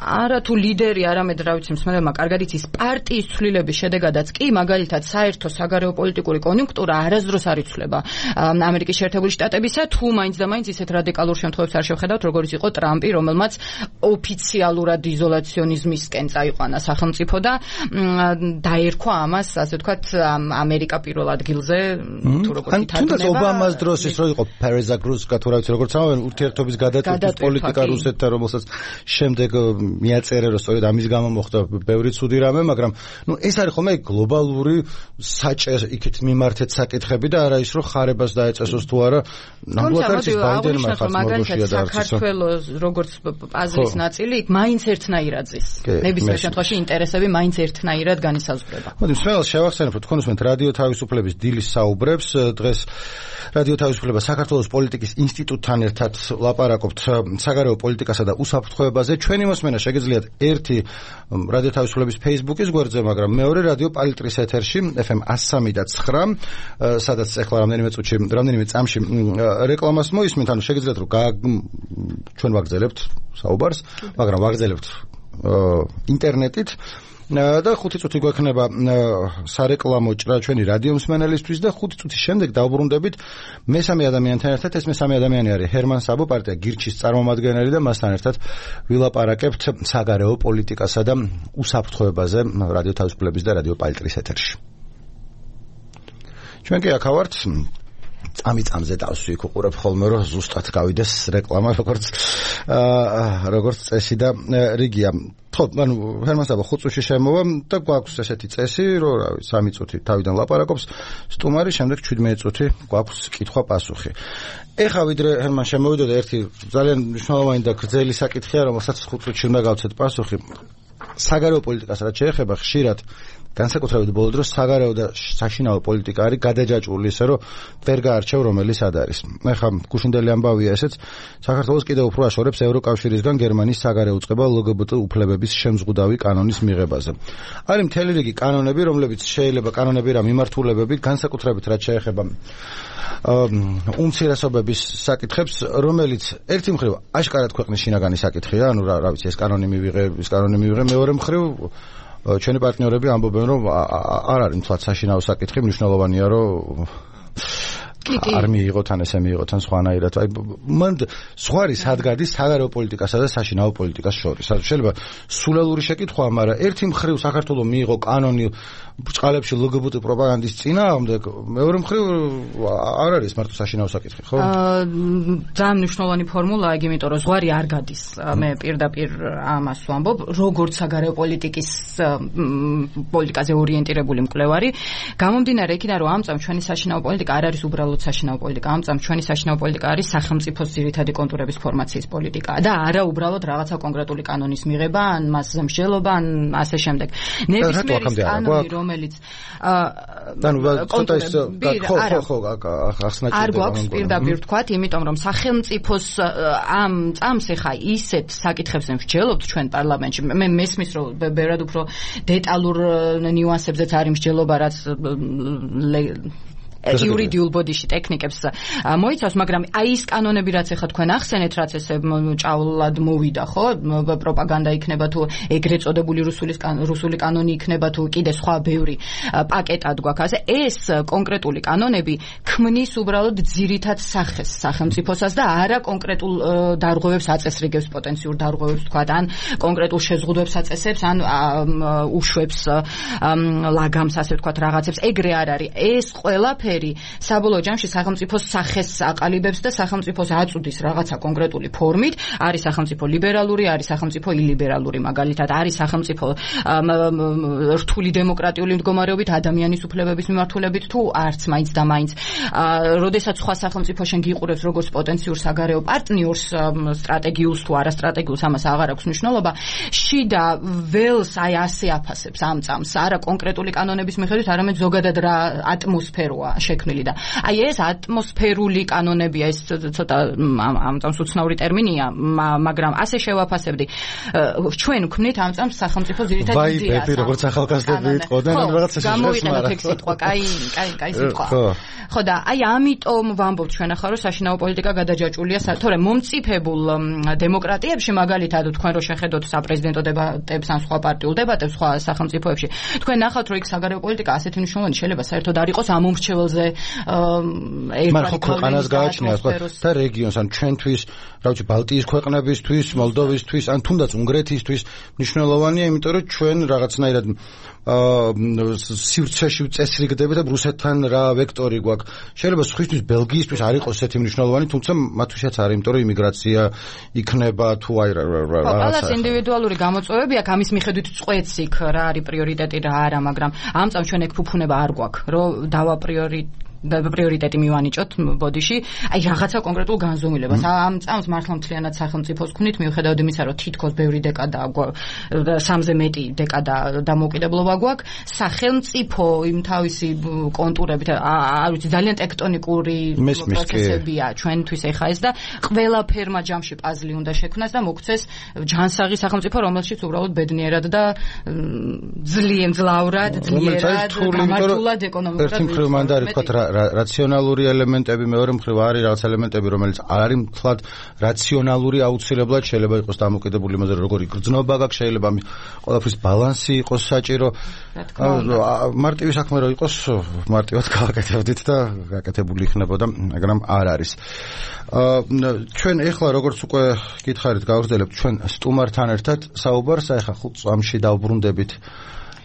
არა თუ ლიდერი, არამედ რა ვიცი, მსმენელმა კარგად იცის პარტიის ცვლილების შედეგადაც კი, მაგალითად საერთო საგარეო პოლიტიკური კონიუნქტურა არასდროს არ იცვლება ამერიკის შეერთებული შტატებისა, თუ მაინც და მაინც ისეთ რადიკალურ შემთხვევებს არ შევხედავთ, როგორც იყო ტრამპი, რომელმაც ოფიციალურად იზოლაციონიზმისკენ წაიყვანა სახელმწიფო და დაერქვა ამას, ასე ვთქვათ, ამერიკა პირველ ადგილზე, თუ როგორც ითარგმნება.
თუნდაც ობამას დროს ის რო იყო პერეზაგრუსკა, თუ რა ვიცი, როგორც ამბობენ, ურთიერთობის გადაწყვეტის პოლიტიკა რუსეთთან, რომელსაც შემდეგ მიაწერე, რომ სწორედ ამის გამო მოხდა ბევრი ცუდი რამე, მაგრამ ნუ ეს არის ხოლმე გლობალური საჭე იქით მიმართეთ საკითხები და არა ის რომ ხარებას დაეწესოს თუ არა. ნამდვილად არის ბაიდენმა ხარც მორგოშია და არც
საქართველოს როგორც პაზლის ნაწილი იქ მაინც ერთნაირად ზის. ნებისმიერ შემთხვევაში ინტერესები მაინც ერთნაირად განისაზღვრება.
მოდი მსმენელს შევახსენებ, რომ თქვენ უსმენთ რადიო თავისუფლების დილის საუბრებს. დღეს რადიო თავისუფლება საქართველოს პოლიტიკის ინსტიტუტთან ერთად ლაპარაკობთ საგარეო პოლიტიკასა და უსაფრთხოებაზე. ჩვენი მოსმენა შეგიძლიათ ერთი რადიო თავისუფლების Facebook-ის გვერდზე, მაგრამ მეორე რადიო პალიტრის ეთერში FM 103.9, სადაც ახლა რამდენიმე წამში რეკლამას მოისმენთ, ანუ შეგიძლიათ რომ ჩვენ ვაგრძელებთ საუბარს, მაგრამ ვაგრძელებთ ინტერნეტით და 5 წუთი გვექნება სარეკლამო ჭრა ჩვენი რადიო მსმენელისთვის და 5 წუთის შემდეგ დავბრუნდებით მესამე ადამიანთან ერთად. ეს მესამე ადამიანი არის ჰერმან საბო, პარტია გირჩის წარმომადგენელი და მასთან ერთად ვილაპარაკებთ საგარეო პოლიტიკასა და უსაფრთხოებაზე რადიო თავისუფლების და რადიო პალტრის ეთერში. ჩვენ კი აქ ვართ წამიწამზე დავსვი იქ უყურებ ხოლმე რომ ზუსტად გავიდეს რეკლამა როგორც წესი და რიგია. ხო, ანუ ჰერმან საბო 5 წუთში შემოვა და გვაქვს ესეთი წესი, რომ რავი 3 წუთი თავიდან ლაპარაკობს სტუმარი, შემდეგ 17 წუთი გვაქვს კითხვა-პასუხი. ეხა ვიდრე ჰერმან შემოვიდა და ერთი ძალიან მნიშვნელოვანი და გრძელი საკითხია, რომელსაც 5 წუთში უნდა გავცეთ პასუხი. საგარეო პოლიტიკას რაც შეეხება, ხშირად განსაკუთრებით ბოლო დროს საგარეო და საშინაო პოლიტიკა არის გადაჯაჭვული, ისე რომ ვერ გაარჩევ რომელი სად არის. ეხლა გუშინდელი ამბავია ესეც, საქართველოს კიდევ უფრო აშორებს ევროკავშირისგან გერმანიის საგარეო უწყება LGBT უფლებების შემზღუდავი კანონის მიღებაზე. არის მთელი რიგი კანონები, რომლებიც შეიძლება კანონები რა მიმართულებები, განსაკუთრებით რაც შეეხება უმცირესობების საკითხებს, რომელიც ერთი მხრივ აშკარად ქვეყნის შინაგანი საკითხია, ანუ რა ვიცი, ეს კანონი მივიღე, მეორე მხრივ ჩვენი პარტნიორები ამბობენ, რომ არ არის მთლად საშინაო საკითხი, მნიშვნელოვანია, რომ არ მიიღოთ ან ესე მიიღოთ ან სხვანაირად. აი მან სხვარი სადგადის საგარეო პოლიტიკასა და საშინაო პოლიტიკას შორის. შეიძლება სულელური შეკითხვაა, მაგრამ ერთი მხრივ საქართველოს მიიღო კანონი ბრწყალებში LGBT პროპაგანდის წინააღმდეგ, მეორე მხრივ არ არის მარტო საშინაო საკითხი, ხო?
ძალიან მნიშვნელოვანი ფორმულაა, იმიტომ რომ ზღვარი არ გადის. მე პირდაპირ ამას ვამბობ, როგორც საგარეო პოლიტიკაზე ორიენტირებული მკვლევარი, გამომდინარე იქიდან, რომ ამ წამს ჩვენი საშინაო პოლიტიკა არ არის უბრალოდ საშინაო პოლიტიკა, ამ წამს ჩვენი საშინაო პოლიტიკა არის სახელმწიფოს ძირითადი კონტურების ფორმაციის პოლიტიკა და არა უბრალოდ რაღაცა კონკრეტული კანონის მიღება, ან მასზე მსჯელობა, ან ასე შემდეგ. ნებისმიერი კანონი, რომელიც არ გვაქვს პირდაპირ ვთქვათ, იმიტომ რომ სახელმწიფოს ამ წამს ეხა ისეთ საკითხებზე მსჯელობთ ჩვენ პარლამენტში. მე მესმის რომ ბევრად უფრო დეტალურ ნიუანსებზეც არის მსჯელობა, რაც იურიდიულ ბოდიში ტექნიკებს მოიცავს, მაგრამ აი ის კანონები, რაც ეხა თქვენ ახსენეთ, რაც ესე ჭავლად მოვიდა, ხო? პროპაგანდა იქნება თუ ეგრეთ წოდებული რუსული კანონი იქნება თუ კიდე სხვა ბევრი პაკეტად გვაქვს. ასე ეს კონკრეტული კანონები ქმნის უბრალოდ ძირითად სახეს სახელმწიფოსას და არა კონკრეტულ დარღვევებს აწესრიგებს, პოტენციურ დარღვევებს თქვა, ან კონკრეტულ შეზღუდვებს აწესებს, ან უშვებს ლაგამს, ასე ვთქვათ, რაღაცებს. ეგრე არ არის. ეს ყველაფერი საბოლოო ჯამში სახელმწიფოს სახეს აყალიბებს და სახელმწიფოს აწუდის რაღაცა კონკრეტული ფორმით. არის სახელმწიფო ლიბერალური, არის სახელმწიფო ილიბერალური, მაგალითად არის სახელმწიფო რთული დემოკრატიული მდგომარეობით, ადამიანის უფლებების მიმართულებით თუ არც მაინც და მაინც. როდესაც სხვა სახელმწიფო შენ გიყურებს როგორც პოტენციურ საგარეო პარტნიორს, სტრატეგიულს თუ არასტრატეგიულს, ამას აღარ აქვს მნიშვნელობა. შიდა ველს აი ასე აფასებს ამ წამს, არა კონკრეტული კანონების მიხედვით, არამედ ზოგადად რა ატმოსფეროა შექმნილი და აი ეს ატმოსფერული კანონებია, ეს ცოტა ამ წამს უცნაური ტერმინია, მაგრამ ასე შევაფასებდი. ჩვენ ვქმნით ამ წამს სახელმწიფო ძირითადად იდეას. ვაი, როგორც ახალგაზრდები იტყოდნენ, ან რაღაცა გამოვიყენოთ ეგ სიტყვა, კაი სიტყვა. ხო და აი ამიტომ ვამბობ ჩვენ ახლა რომ საშინაო პოლიტიკა გადაჯაჭვულია, თორემ მომწიფებულ დემოკრატიებში, მაგალითად თქვენ რო შეხედოთ საპრეზიდენტო დებატებს ან სხვა პარტიულ დებატებს სხვა სახელმწიფოებში, თქვენ ნახავთ რომ იქ საგარეო პოლიტიკა ასეთი მნიშვნელოვანი შეიძლება საერთოდ არ იყოს ამ მომრჩეველზე
მაგრამ ქვეყანას გააჩნია და რეგიონს, ან ჩვენთვის, რა ვიცი, ბალტიის ქვეყნებისთვის, მოლდოვისთვის, ან თუნდაც უნგრეთისთვის მნიშვნელოვანია, იმიტომ რომ ჩვენ რაღაცნაირად სივრცეში წესრიგდებით და რუსეთთან რა ვექტორი გვაქვს. შეიძლება სხვისთვის ბელგიისთვის არ იყოს ესეთი მნიშვნელოვანი, თუმცა მათთვისაც არის, იმიტომ რომ იმიგრაცია იქნება თუ აი
რაღაც ინდივიდუალური გამოწვევები აქვს, ამის მიხედვით წყვეტს იქ რა არის პრიორიტეტი, რა არა, მაგრამ ამ წამს ჩვენ ეგ ფუფუნება არ გვაქვს, რომ პრიორიტეტი მივანიჭოთ ბოდიში, აი რაღაცა კონკრეტულ განზომილებას. ამ წამს მართლა მთლიანად სახელმწიფოს ვქნით, მიუხედავად იმისა, რომ თითქოს ბევრი დეკადა, 3-ზე მეტი დეკადა დამოუკიდებლობა გვაქვს, სახელმწიფო იმ თავისი კონტურებით, არ ვიცი, ძალიან ტექტონიკური პროცესებია ჩვენთვის ეხა ეს და ყველაფერმა ჯამში პაზლი უნდა შექმნას და მოქცეს ჯანსაღი სახელმწიფო, რომელშიც უბრალოდ ბედნიერად და ძლავრად, ძლიერად, გამართულად ეკონომიკურად.
ერთი მხრივ მანდ არის თქვა რაციონალური ელემენტები, მეორე მხრივ არის რაღაც ელემენტები, რომელიც არ არის მთლად რაციონალური აუცილებლად შეიძლება იყოს დამოკიდებული იმაზე, როგორი გრძნობა გაქვს, შეიძლება ყველაფრის ბალანსი იყოს საჭირო. მარტივი საქმე რო იყოს, მარტივად გავაკეთებდით და გაკეთებული იქნებოდა, მაგრამ არ არის. ჩვენ ეხლა როგორც უკვე გითხარით, გავაგრძელებთ ჩვენ სტუმართან ერთად საუბარს, ეხლა 5 წამში დავბრუნდებით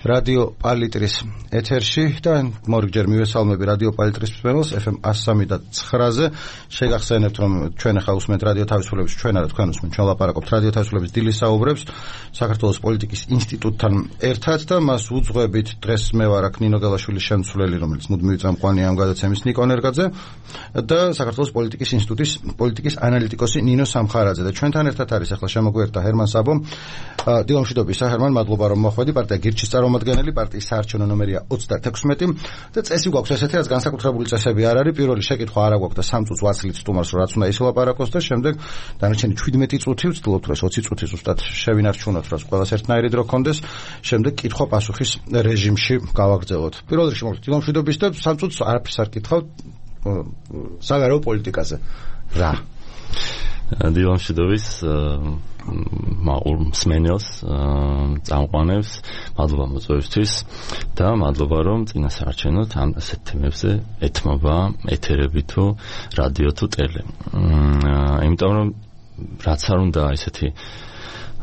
რადიო პალიტრის ეთერში და მორიგჯერ მივესალმები რადიო პალიტრის მსმენელს FM 103.9-ზე. შეგახსენებთ, რომ ჩვენ ახლა უსმენთ რადიო თავისუფლების, ჩვენ არა თქვენ უსმენთ, ჩვენ ლაპარაკობთ რადიო თავისუფლების დილის საუბრებს საქართველოს პოლიტიკის ინსტიტუტთან ერთად და მას უძღვებით. დღეს მე ვარ აქ ნინო გელაშვილის შემცვლელი, რომელიც მუდმივი წამყვანია ამ გადაცემის ნიკო ნერგაძე და საქართველოს პოლიტიკის ინსტიტუტის პოლიტიკის ანალიტიკოსი ნინო სამხარაძე და ჩვენთან ერთად არის ახლა შემოგვიერთდა ჰერმან საბო. დილამშვიდობისა ჰერმან, მადლობა რომ მოხვედი. პარტია გირჩის წარმომადგენელი, პარტიის საარჩევნო ნომერია 36 და წესი გვაქვს ესეთი, რაც განსაკუთრებული წესები არ არის. პირველი შეკითხვა არა გვაქვს და 3 წუთს ვაცლით სტუმარს, რაც უნდა ისლაპარაკოს და შემდეგ დანარჩენი 17 წუთი ვცდილობთ, რომ 20 წუთი ზუსტად შევინარჩუნოთ, რაც ყველას ერთნაირი დრო გქონდეს. შემდეგ კითხვა-პასუხის რეჟიმში გავაგრძელოთ. პირველ რიგში მოგეთ დილამშვიდობის და 3 წუთს არაფერს არ კითხავ საგარეო პოლიტიკაზე. რა?
დილამშვიდობის მაურ მსმენელს, წამყვანებს, მადლობა მოწვევისთვის და მადლობა რომ წინა საარჩევნოდ ამ ასეთ თემებზე ეთმობა ეთერები თუ რადიო თუ ტელე. იმიტომ რომ რაც არ უნდა ესეთი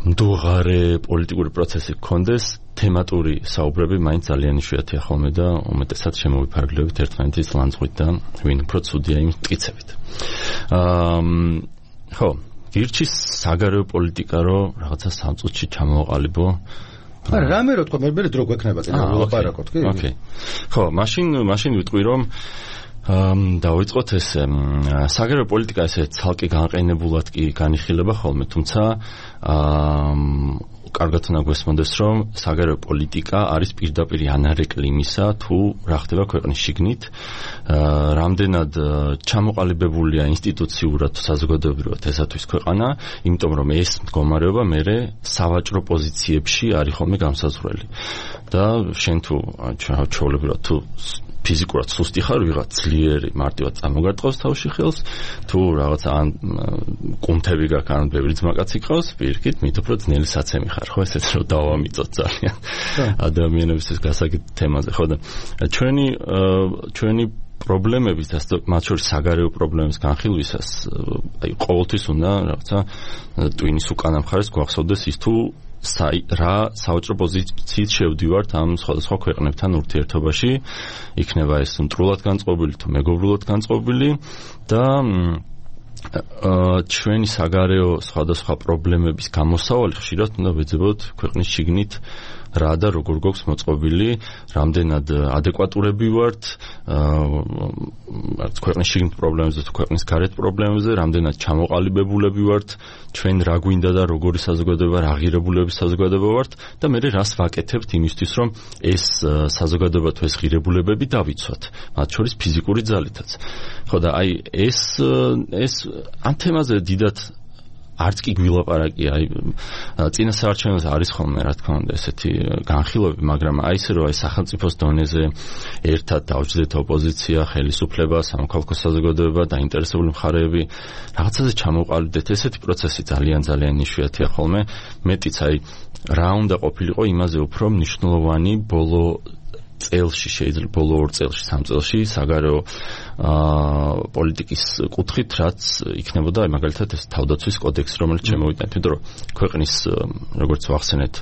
მდუღარე პოლიტიკური პროცესი გქონდეს, თემატური საუბრები მაინც ძალიან იშვიათია ხოლმე და უმეტესად შემოვიფარგლებით ერთმანეთის ლანძღვით და ვინ უფრო ცუდია იმ მტკიცებით. ხო, გირჩის საგარეო პოლიტიკა რო რაღაცა 3 წუთში ჩამოვაყალიბო.
არა, რამე რო თქვა, მე დრო გვექნება წინ ვილაპარაკოთ, კი?
ოკეი. ხო, მაშინ ვიტყვი რომ დავიწყოთ ეს საგარეო პოლიტიკა ესე ცალკე განყენებულად კი განიხილება ხოლმე, თუმცა კარგად უნდა გვესმოდეს, რომ საგარეო პოლიტიკა არის პირდაპირ ანარეკლი იმისა, თუ რა ხდება ქვეყნის შიგნით, რამდენად ჩამოყალიბებულია ინსტიტუციურად თუ საზოგადოებრივად ესათვის ქვეყანა, იმიტომ რომ ეს მდგომარეობა მერე სავაჭრო პოზიციებში არის ხოლმე განსაზღვრელი. და შენ თუ ჩვეულებრივად თუ ფიზიკურად სუსტი ხარ, ვიღაც ძლიერი მარტივად წამოგარტყავს თავში ხელს, თუ რაღაცა ან კუნთები გაქვს, ან ბევრი ძმაკაცი ყავს, პირიქით, მით უფრო ძნელი საცემი ხარ, ხო, ესეც რომ დავამიწოთ ძალიან ადამიანების ეს გასაგებ თემაზე, ხო და ჩვენი პრობლემების და მათ შორის საგარეო პრობლემების განხილვისას, აი ყოველთვის უნდა რაღაცა ტვინის უკანა მხარეს გვახსოვდეს ის თუ რა საოჭრო პოზიციით შევდივართ ამ სხვადასხვა ქვეყნებთან ურთიერთობაში, იქნება ეს მტრულად განწყობილი თუ მეგობრულად განწყობილი და ჩვენი საგარეო სხვადასხვა პრობლემების გამოსავალი ხშირად უნდა ვეძებოთ ქვეყნის შიგნით რა და როგორ გვაქვს მოწყობილი, რამდენად ადეკვატურები ვართ ქვეყნის შიგნით პრობლემებზე თუ ქვეყნის გარეთ პრობლემებზე, რამდენად ჩამოყალიბებულები ვართ, ჩვენ რა გვინდა და როგორი საზოგადოება, რა ღირებულების საზოგადოება ვართ და მე რას ვაკეთებთ იმისთვის, რომ ეს საზოგადოება თუ ეს ღირებულებები დავიცვათ, მათ შორის ფიზიკური ძალითაც. ხო და აი ეს ამ თემაზე დიდად არც კი გვილაპარაკია, აი წინა საარჩევნოზე არის ხოლმე რა თქმა უნდა ესეთი განხილვები, მაგრამ აი ესე რომ აი სახელმწიფოს დონეზე ერთად დავჯდეთ ოპოზიცია, ხელისუფლება, სამოქალაქო საზოგადოება, დაინტერესებული მხარეები რაღაცაზე ჩამოყალიბდეთ, ესეთი პროცესი ძალიან იშვიათია ხოლმე. მეტიც აი რა უნდა ყოფილიყო იმაზე უფრო მნიშვნელოვანი ბოლო წელში, შეიძლება ბოლო 2 წელში, 3 წელში საგარეო პოლიტიკის კუთხით, რაც იქნებოდა აი მაგალითად ეს თავდაცვის კოდექსი, რომელიც შემოვიტანეთ, იმიტომ რომ ქვეყნის როგორც ვახსენეთ,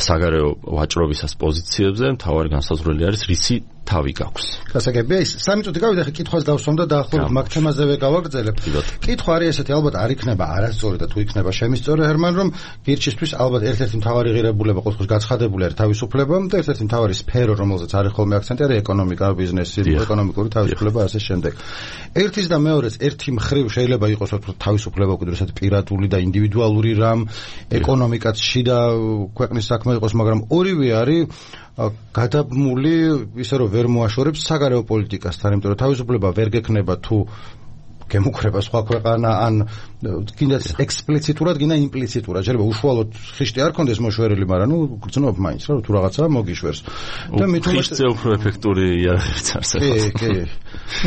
საგარეო ვაჭრობისას პოზიციებზე მთავარი განსაზღვრელი არის რისი თავი გაქვს.
გასაგებია ის 3 წუთი გავიდა, ხე კითხვას დავსვამ და დაახლოებით მაგ თემაზევე გავაგრძელებ. კითხვა არის ესეთი, ალბათ არ იქნება არასწორი და თუ იქნება შემისწორი, ჰერმან, რომ გირჩისთვის ალბათ ერთ-ერთი მთავარი ღირებულება ყოველთვის გაცხადებული არის თავისუფლება და ერთ-ერთი მთავარი სფერო, რომელზეც არის ხოლმე აქცენტი, არის ეკონომიკა, ბიზნესი, ეკონომიკური თავისუფლება, ასე შემდეგ. ერთის და მეორეს ერთი მხრივ შეიძლება იყოს თავისუფლება უკვე ესეთი პირადული და ინდივიდუალური რამ, ეკონომიკაც შიდა ქვეყნის საქმე იყოს, მაგრამ ორივე არის გადაბმული ისე რომ ვერ მოაშორებს საგარეო პოლიტიკასთან, იმიტომ რომ თავისუფლება ვერ გექნება თუ გემუქრება სხვა ქვეყანა ან კიდაც ექსპლიციტურად, კიდე იმპლიციტურად. შეიძლება უშუალოდ ხიშტი არ ქონდეს მოშვერილი, მაგრამ გრძნობ მაინც რა თუ რაღაცა მოგიშვერს.
და ხიშტზე უფრო ეფექტური იარაღებიც არსებობს.
კი.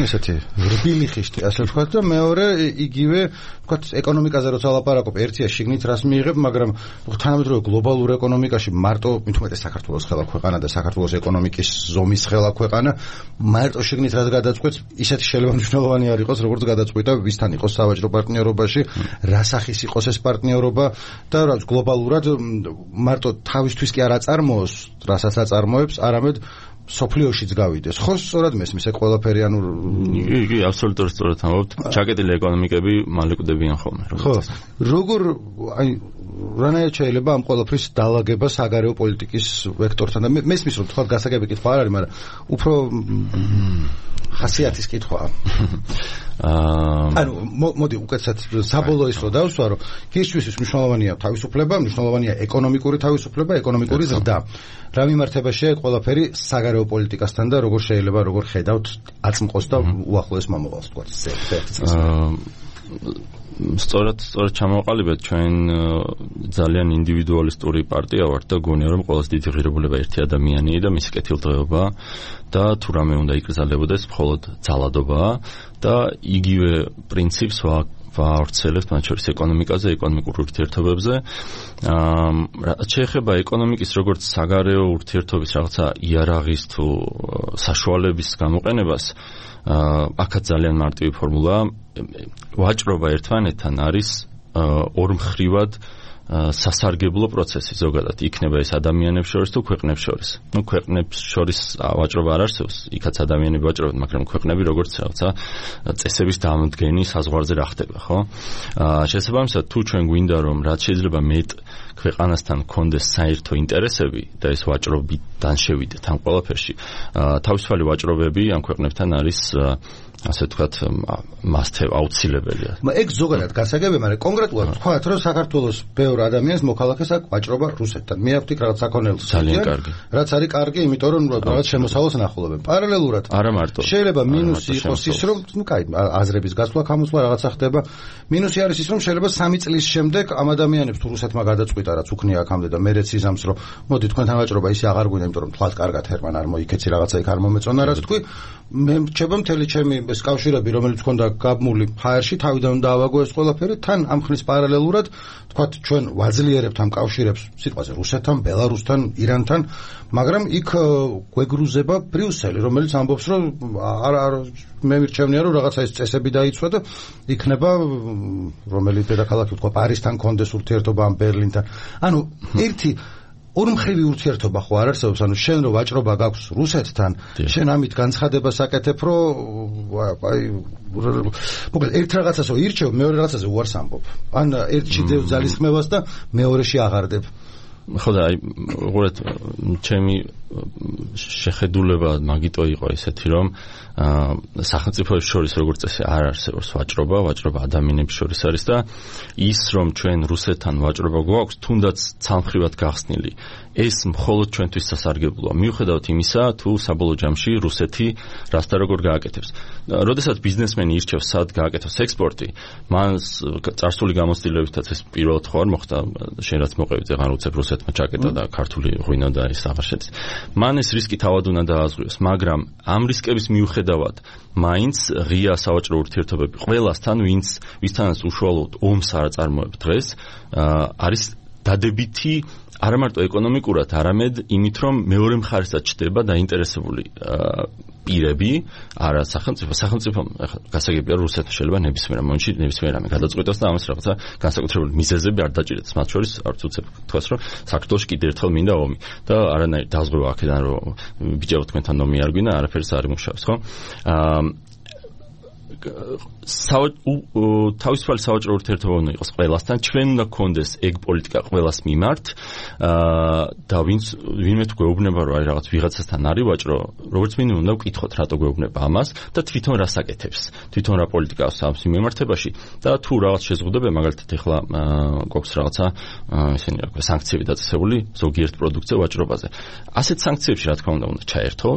ესეთი რბილი ხიშტი, ასე ვთქვათ და მეორე იგივე ვთქვათ ეკონომიკაზე როცა ლაპარაკობ, ერთია შიგნით რას მიიღებ, მაგრამ თანამედროვე გლობალურ ეკონომიკაში მარტო მithumetes საქართველოს ხელა ქვეყანა და საქართველოს ეკონომიკის ზომის ხელა ქვეყანა, მარტო შიგნით რას გადაწყვეტს, ისეთი შეიძლება მნიშვნელოვანი არ იყოს, როგორც გადაწყვეტა ვისთან იყოს სავაჭრო პარტნიორობაში, რა სახის იყოს ეს პარტნიორობა და რაც გლობალურად მარტო თავისთვის კი არ აწარმოოს, რასაც აწარმოებს, არამედ სოფლიოშიც გავიდეს. ხო, სწორად მესმის ეგ ყველაფერი ანუ
კი, აბსოლუტურად სწორად ამბობთ. ჩაკეტილი ეკონომიკები მალე კვდებიან ხოლმე.
ხო, როგორ აი რანაირად შეიძლება ამ ყველაფრის დალაგება საგარეო პოლიტიკის ვექტორთან და მესმის რომ თქვა გასაგები კითხვა არ არის, მაგრამ უფრო ხასიათის კითხვაა. ანუ მოდი უკეთესად საბოლოო ის რო დავსვა, რომ ქისთვის მნიშვნელოვანია თავისუფლება, მნიშვნელოვანია ეკონომიკური თავისუფლება, ეკონომიკური ზრდა. რა მიმართებაშია ყველაფერი საგარეო პოლიტიკასთან და როგორ შეიძლება როგორ ხედავთ აწმყოს და უახლოეს მომავალს თქვა ეს.
სწორად ჩამოვყალიბეთ ჩვენ ძალიან ინდივიდუალისტური პარტია ვართ და გონია რომ ყველაზე დიდი ღირებულება ერთი ადამიანია და მისი კეთილდღეობაა და თუ რამე უნდა იკრძალებოდეს მხოლოდ ძალადობაა და იგივე პრინციპს ვავრცელებთ მათ შორის ეკონომიკაზე, ეკონომიკურ ურთიერთობებზე. რაც შეეხება ეკონომიკის როგორც საგარეო ურთიერთობის რაღაცა იარაღის თუ საშუალების გამოყენებას, აქაც ძალიან მარტივი ფორმულაა. ვაჭრობა ერთმანეთთან არის ორმხრივად სასარგებლო პროცესი ზოგადად იქნება ეს ადამიანებს შორის თუ ქვეყნებს შორის. ქვეყნებს შორის ვაჭრობა არ არსებობს, იქაც ადამიანები ვაჭრობენ, მაგრამ ქვეყნები როგორც რაღაცა წესების დამდგენი საზღვარზე რა ხდება, ხო? შესაბამისად, თუ ჩვენ გვინდა რომ რაც შეიძლება მეტ ქვეყანასთან გქონდეს საერთო ინტერესები და ეს ვაჭრობიდან შევიდეთ ამ ყველაფერში, თავისუფალი ვაჭრობები ამ ქვეყნებთან არის ასე ვთქვათ, აუცილებელია.
ეგ ზოგადად გასაგებია, მაგრამ კონკრეტულად ვთქვათ, რომ საქართველოს ბევრ ადამიანს მოქალაქეს აქვს ვაჭრობა რუსეთთან. მე აქვთ იქ რაღაც საქონელს.
ძალიან კარგი.
რაც არის კარგი, იმიტომ რომ რაღაც შემოსავალს ნახულობენ. პარალელურად
არა მარტო.
შეიძლება მინუსი იყოს ის, რომ კაი, აზრების გასვლა, გამოსვლა რაღაცა ხდება. მინუსი არის ის, რომ შეიძლება 3 წლის შემდეგ ამ ადამიანებს თუ რუსეთმა გადაწყვიტა, რაც უქნია აქამდე და მერეც იზამს, რომ მოდი თქვენთან ვაჭრობა ისე აღარ გვინდა, იმიტომ რომ თქვათ კარგად ჰერმან არ მოიქეცი რაღაცა იქ არ მომეწონა, რაც თქვი. მე რჩება მთელი ჩემი ეს კავშირები, რომელიც მქონდა გაბმული ჰაერში, თავიდან დავაგო ეს ყველაფერი, თან ამ ხნის პარალელურად, თქვათ, ჩვენ ვაძლიერებთ ამ კავშირებს, სიტყვაზე რუსეთთან, ბელარუსთან, ირანთან, მაგრამ იქ გვეგრუზება ბრიუსელი, რომელიც ამბობს, რომ მე მირჩევნია, რომ რაღაცა ეს წესები დაიცვა და იქნება რომელი დედაქალაქი თქვა პარიზთან კონდეს ურთიერთობა ამ ბერლინთან. ანუ ერთი ორმხრივი ურთიერთობა ხო არ არსებობს, ანუ შენ რო ვაჭრობა გაქვს რუსეთთან, შენ ამით განცხადებას აკეთებ, რომ აი მოკლედ ერთ რაღაცასო ირჩევ, მეორე რაღაცაზე უარს ამბობ. ან ერთში დევ ძალისხმევას და მეორეში აღარდებ.
ხო და აი უყურეთ, ჩემი შეხედულება მაგიტო იყო ესეთი, რომ სახელმწიფოებს შორის როგორც წესი არ არსებობს ვაჭრობა ადამიანებს შორის არის და ის რომ ჩვენ რუსეთთან ვაჭრობა გვაქვს, თუნდაც ცალმხრივად გახსნილი, ეს მხოლოდ ჩვენთვის სასარგებლოა. მიუხედავად იმისა, თუ საბოლოო ჯამში რუსეთი რას და როგორ გააკეთებს. როდესაც ბიზნესმენი ირჩევს სად გააკეთოს ექსპორტი, მან წარსული გამოცდილებითაც ეს პირველად ხო არ მოხდა, შენ რაც მოყევით, აღარ უცებ რუსეთმა ჩაკეტა და ქართული ღვინო და ის აღარ შედის. მან ეს რისკი თავად უნდა დააზღვიოს, მაგრამ ამ რისკების მიუხედავად მაინც ღია სავაჭრო ურთიერთობები ყველასთან, ვისთანაც უშუალოდ ომს არ აწარმოებ დღეს, არის დადებითი არა მარტო ეკონომიკურად, არამედ იმით, რომ მეორე მხარესაც ჩდება დაინტერესებული პირები, არა სახელმწიფო გასაგებია რუსეთს შეიძლება ნებისმიერ მომენტში ნებისმიერ რამე გადაწყვეტოს და ამას რაღაცა განსაკუთრებული მიზეზები არ დაჭირდეს. მათ შორის არც უცებ თქვას, რომ საქართველოში კიდევ ერთხელ მინდა ომი და არანაირი დაზღვევა აქედან, რომ ბიჭებო თქვენთან ომი არ გვინდა, არაფერს არ იმუშავებს, ხო? თავისუფალი სავაჭრო ურთიერთობა უნდა იყოს ყველასთან, ჩვენ უნდა გქონდეს ეგ პოლიტიკა ყველას მიმართ და ვინმე თუ გვეუბნება, რომ აი რაღაც ვიღაცასთან არის ვაჭრო, როგორც მინიმუმ უნდა ვკითხოთ, რატო გვეუბნება ამას და თვითონ რას აკეთებს, თვითონ რა პოლიტიკა აქვს ამ მიმართებაში და თუ რაღაც შეზღუდება, მაგალითად ეხლა გვაქვს რაღაცა ისინი რა ქვია სანქციები დაწესებული ზოგიერთ პროდუქტზე ვაჭრობაზე. ასეთ სანქციებში რა თქმა უნდა ჩაერთო,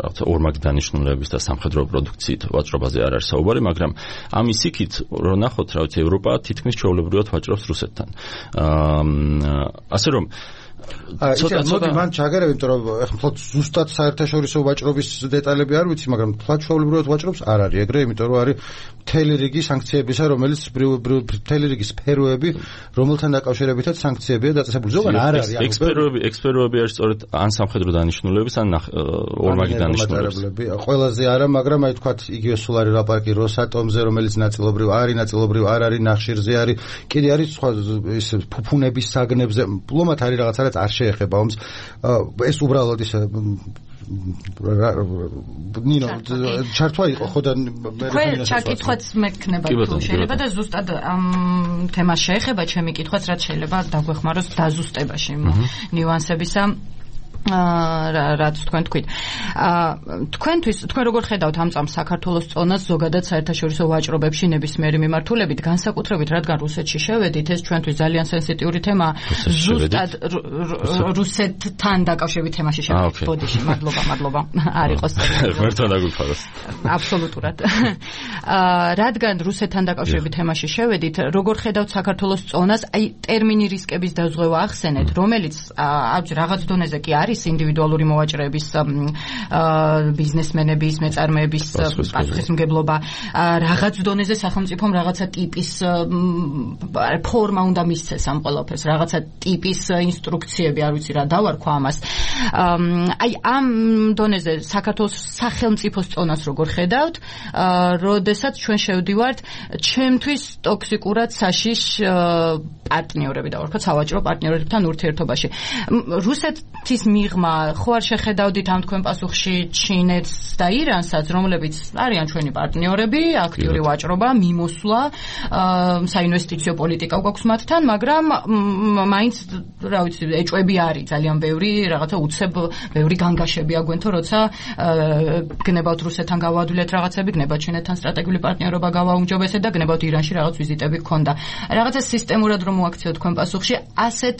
რაღაცა ორმაგი დანიშნულების და სამხედრო პროდუქციით ვაჭრობაზე არ არის საუბარი, მაგრამ ამის იქით რომ ნახოთ, რა ვიცი, ევროპა თითქმის ჩვეულებრივად ვაჭრობს რუსეთთან. ასე რომ
ცოტა მან ჩაგერები, იმიტომ რომ ეხლა მხოლოდ ზუსტად საერთაშორისო ვაჭრობის დეტალები არ ვიცი, მაგრამ ფლატშოულებრივად ვაჭრობს არ არის ეგრე, იმიტომ რომ არის მთელი რიგი სანქციებისა, რომელიც მთელი რიგი სფეროები, რომელთან დაკავშირებითაც სანქციებია დაწესებული. ზოგან არ არის.
ექსპეროები არის სწორედ ან სამხედრო დანიშნულების, ან ორმაგი დანიშნულების.
ყველაზე არა, მაგრამ აი თქვათ იგივე სოლარი ლაპარაკი როსატომზე, რომელიც ნაწილობრივ არ არის, ნახშირზე არის, კიდე არის სხვა ის ფუფუნების საგნებზე, ლომათ არის რაღაცა არ შეეხება ომს. ეს უბრალოდ ის ნინო ჩართვა იყო ხო და
მე ჩაკითხვაც მექნება თუ შეიძლება და ზუსტად ამ თემას შეეხება ჩემი კითხვაც რაც შეიძლება დაგვეხმაროს დაზუსტებაში ნიუანსებისა რაც თქვენ თქვით. თქვენ როგორ ხედავთ ამ წამს საქართველოს წონას ზოგადად საერთაშორისო ვაჭრობებში ნებისმიერი მიმართულებით, განსაკუთრებით რადგან რუსეთში შევედით, ეს ჩვენთვის ძალიან სენსიტიური თემაა. ზუსტად რუსეთთან დაკავშირებით თემაში შევედით. ბოდიში, მადლობა. არ იყოს.
ღმერთთან დაგვიფაროს.
აბსოლუტურად. რადგან რუსეთთან დაკავშირებით თემაში შევედით, როგორ ხედავთ საქართველოს წონას, აი ტერმინი რისკების დაზღვევა ახსენეთ, რომელიც რაღაც დონეზე კი არის ინდივიდუალური მოვაჭრეების ბიზნესმენების მეწარმეების პასუხისმგებლობა რაღაც დონეზე სახელმწიფომ რაღაცა ტიპის ფორმა უნდა მისცეს ამ ყველაფერს რაღაცა ტიპის ინსტრუქციები არ ვიცი რა დავარქვა ამას აი ამ დონეზე საქართველოს სახელმწიფოს წონას როგორ ხედავთ როდესაც ჩვენ შევდივართ ჩემთვის ტოქსიკურად საშიშ პარტნიორები დავარქვა სავაჭრო პარტნიორებთან ურთიერთობაში რუსეთის მიღმა ხო არ შეხედავდით ამ თქვენ პასუხში ჩინეთს და ირანსაც რომლებიც არიან ჩვენი პარტნიორები აქტიური ვაჭრობა მიმოსვლა საინვესტიციო პოლიტიკა გვაქვს მათთან მაგრამ მაინც რა ვიცი ეჭვები არის ძალიან ბევრი რაღაცა უცებ ბევრი განგაშებია გვენთო როცა გნებავთ რუსეთთან გავაადვილეთ რაღაცები გნებავთ ჩინეთთან სტრატეგიული პარტნიორობა გავაუმჯობესეთ და გნებავთ ირანში რაღაც ვიზიტები გქონდა რაღაცა სისტემურად რომ მოაქციოთ თქვენ პასუხში ასეთ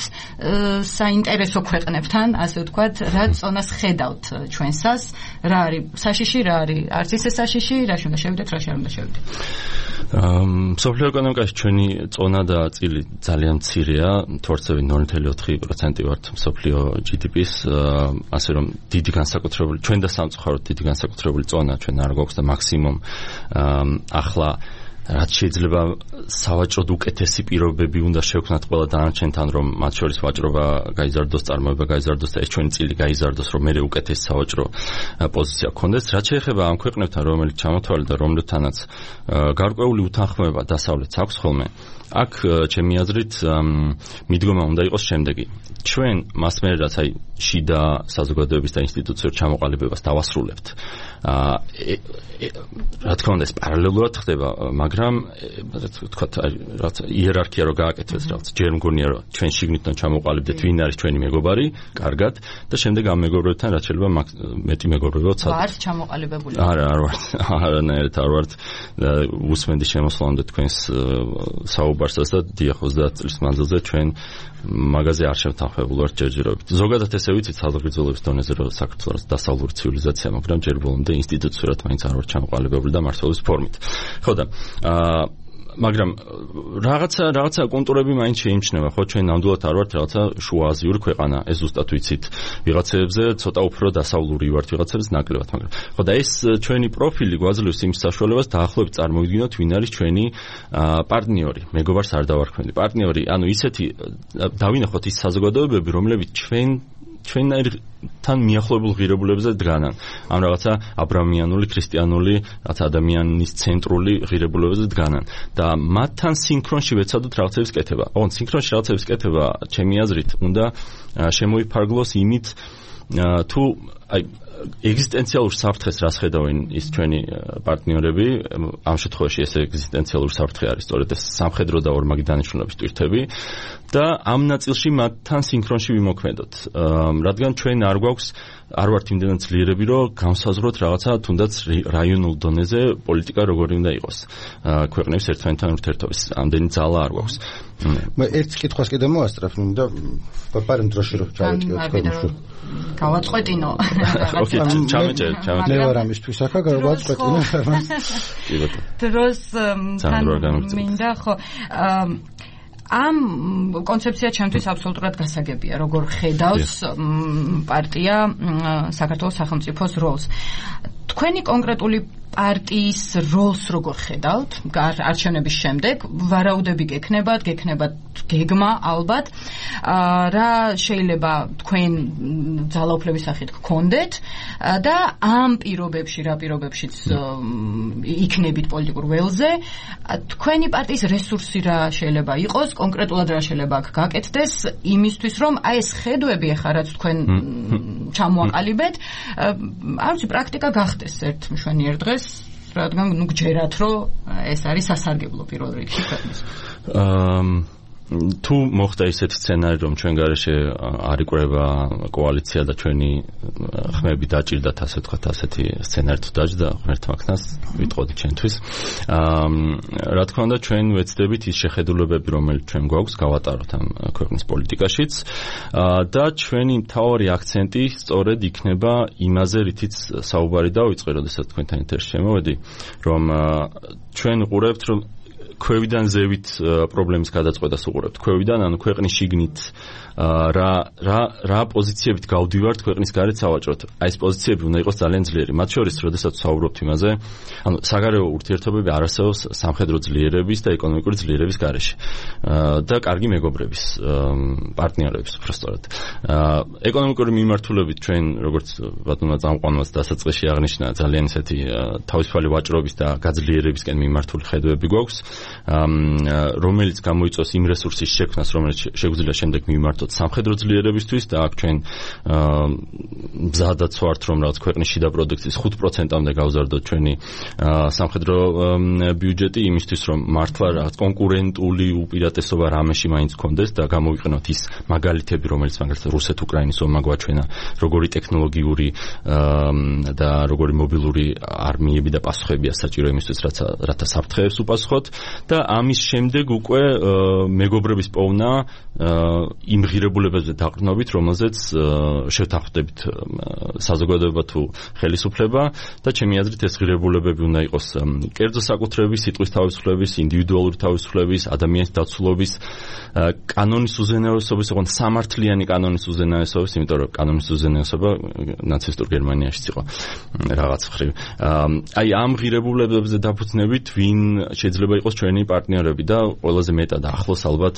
საინტერესო ქვეყნებთან ასე ვთქვათ, რა წონას ხედავთ ჩვენსას, რა არის საშიში, რა არის არც ისე საშიში, რაში უნდა შევიდეთ, რაში არ უნდა შევიდეთ.
მსოფლიო ეკონომიკაში ჩვენი წონა და წილი ძალიან მცირეა, თორცევი 0.4% ვართ მსოფლიო GDP-ს, ასე რომ დიდი განსაკუთრებული, ჩვენ და სამწუხაროდ დიდი განსაკუთრებული წონა ჩვენ არ გვაქვს და მაქსიმუმ ახლა რაც შეიძლება სავაჭროდ უკეთესი პირობები უნდა შევქმნათ ყველა დანარჩენთან რომ მათ შორის ვაჭრობა გაიზარდოს, წარმოება გაიზარდოს და ეს ჩვენი წილი გაიზარდოს, რომ მე უკეთესი სავაჭრო პოზიცია გქონდეს. რაც შეეხება ამ ქვეყნებთან, რომელიც ჩამოთვალე და რომლებთანაც გარკვეული უთანხმოება დასავლეთს აქვს ხოლმე, აქ ჩემი აზრით მიდგომა უნდა იყოს შემდეგი. ჩვენ მასმერად აი შიდა საზოგადოების და ინსტიტუციურ ჩამოყალიბებას დავასრულებთ. რა თქმა უნდა ეს პარალელურად ხდება, მაგრამ თქვათ რაც იერარქია რო გააკეთოს რაღაც ჯერ მგონია რომ ჩვენ შიგნითთან ჩამოყალიბდეთ ვინ არის ჩვენი მეგობარი, კარგად და შემდეგ ამ მეგობრებთან რაც შეიძლება მეტი მეგობრები ვცადოთ.
ვართ ჩამოყალიბებული?
არა, არ ვართ. არანაირად არ ვართ. უსმენდი შემოსვლამდე თქვენს საუბარსაც და დიახ 30 წლის მანძილზე ჩვენ მაგაზე არ შევთანხმებულ ვართ ჯერჯერობით. ზოგადად ესე ვიცით საზოგადოების დონეზე რომ საქართველოს დასავლური ცივილიზაცია, მაგრამ ჯერ ბოლომდე ინსტიტუციურად მაინც არ ვართ ჩამოყალიბებული და მართლობის ფორმით. ხო და მაგრამ რაღაცა კონტურები მაინც შეიმჩნევა, ხო ჩვენ ნამდვილად არ ვართ რაღაცა შუააზიური ქვეყანა, ეს ზუსტად ვიცით. ვიღაცებზე ცოტა უფრო დასავლური ვართ, ვიღაცებზე ნაკლებად, მაგრამ ხო და ეს ჩვენი პროფილი გვაძლევს იმ საშუალებას დაახლოებით წარმოვიდგინოთ, ვინ არის ჩვენი პარტნიორი. მეგობარს არ დავარქმევი. პარტნიორი, ანუ ისეთი დავინახოთ ის საზოგადოებები, რომლებიც ჩვენთან მიახლოებულ ღირებულებებზე დგანან. ამ რაღაცა აბრამიანული, ქრისტიანული, რაღაცა ადამიანის ცენტრული ღირებულებებზე დგანან. და მათთან სინქრონში ვეცადოთ რაღაცების კეთება. ოღონდ სინქრონში რაღაცების კეთება, ჩემი აზრით, უნდა შემოიფარგლოს იმით, თუ აი ეგზისტენციალურ საფრთხეს რას ხედავენ ის ჩვენი პარტნიორები, ამ შემთხვევაში ეს ეგზისტენციალური საფრთხე არის სწორედ ეს სამხედრო და ორმაგი დანიშნულების ტვირთები და ამ ნაწილში მათთან სინქრონში ვიმოქმედოთ. რადგან ჩვენ არ გვაქვს არ ვართ იმდენად ძლიერები, რომ განსაზღვროთ რაღაცა თუნდაც რაიონულ დონეზე პოლიტიკა როგორი უნდა იყოს. ქვეყნების ერთმანეთთან ურთიერთობის ამდენი ძალა არ გვაქვს.
მე ერთ კითხვას კიდე მოასწრებ და პარემ დროში რომ ჩავეტიოთ თქვენ.
გავაწყვეტინო.
ოკეი, ჩამეჭერ.
მე ვარ ამისთვის ახლა გავაწყვეტინო.
კი ბატონო.
დროს მინდა ხო ამ კონცეფცია ჩემთვის აბსოლუტურად გასაგებია, როგორ ხედავს პარტია საქართველოს სახელმწიფოს როლს. თქვენი კონკრეტული პარტიის როლს როგორ ხედავთ არჩევნების შემდეგ? ვარაუდები გექნებათ გეგმა ალბათ. რა შეიძლება თქვენ ძალაუფლების სახით გქონდეთ და ამ რა პირობებშიც იქნებით პოლიტიკურ ველზე, თქვენი პარტიის რესურსი რა შეიძლება იყოს, კონკრეტულად რა შეიძლება აქ გაკეთდეს იმისთვის, რომ აი ეს ხედვები ახლა რაც თქვენ ჩამოაყალიბეთ, არ ვიცი, პრაქტიკა გახდეს ერთ მშვენიერ დღეს, რადგან გჯერათ, რომ ეს არის სასარგებლო პირველ რიგში ქვეყნის.
თუ მოხდა ისეთი სცენარი, რომ ჩვენ გარეშე არ იკვრება კოალიცია და ჩვენი ხმები დაჭირდათ, ასე ვთქვათ, ასეთი სცენარი თუ დაჯდა ღმერთმა ქნას, ვიტყოდი ჩვენთვის. რა თქმა უნდა, ჩვენ ვეცდებით ის შეხედულებები, რომელიც ჩვენ გვაქვს, გავატაროთ ამ ქვეყნის პოლიტიკაშიც და ჩვენი მთავარი აქცენტი სწორედ იქნება იმაზე, რითიც საუბარი დავიწყე, როდესაც თქვენთან ეთერში შემოვედი, რომ ჩვენ ვყურებთ, რომ ქვევიდან ზევით პრობლემის გადაწყვეტას უყურებთ. ქვევიდან, ანუ ქვეყნის შიგნით რა პოზიციებით გავდივართ ქვეყნის გარეთ სავაჭროდ. აი ეს პოზიციები უნდა იყოს ძალიან ძლიერი. მათ შორის, როდესაც ვსაუბრობთ იმაზე, ანუ საგარეო ურთიერთობები არ არსებობს სამხედრო ძლიერების და ეკონომიკური ძლიერების გარეშე. და კარგი მეგობრების, პარტნიორების უბრალოდ. ეკონომიკური მიმართულებით ჩვენ, როგორც ბატონმა წამყვანმაც დასაწყისში აღნიშნა, ძალიან ისეთი თავისუფალი ვაჭრობის და გაძლიერებისკენ მიმართული ხედვები გვაქვს. რომელიც გამოიწვევს იმ რესურსის შექმნას, რომელიც შეგვიძლია შემდეგ მიმართოთ სამხედრო ძლიერებისთვის და აქ ჩვენ მზადად ვართ, რომ რაღაც ქვეყნის შიდა პროდუქციის 5%-მდე გავზარდოთ ჩვენი სამხედრო ბიუჯეტი იმისთვის, რომ მართლა რაღაც კონკურენტული უპირატესობა რამეში მაინც გქონდეს და გამოვიყენოთ ის მაგალითები, რომელიც მაგალითად რუსეთ-უკრაინის ომმა გვაჩვენა, როგორი ტექნოლოგიური და როგორი მობილური არმიები და პასუხებია საჭირო იმისთვის, რათა საფრთხეებს უპასუხოთ. და ამის შემდეგ უკვე მეგობრების პოვნა იმ ღირებულებებზე დაყრდნობით, რომელზეც შევთანხმდებით საზოგადოება თუ ხელისუფლება და ჩემი აზრით ეს ღირებულებები უნდა იყოს კერძო საკუთრების, სიტყვის თავისუფლების, ინდივიდუალური თავისუფლების, ადამიანის დაცულობის, კანონის უზენაესობის, ოღონდ სამართლიანი კანონის უზენაესობის, იმიტომ რომ კანონის უზენაესობა ნაცისტურ გერმანიაშიც იყო რაღაც ხრივ. აი ამ ღირებულებებზე დაფუძნებით ვინ შეიძლება იყოს ჩვენი პარტნიორები და ყველაზე მეტად ახლოს ალბათ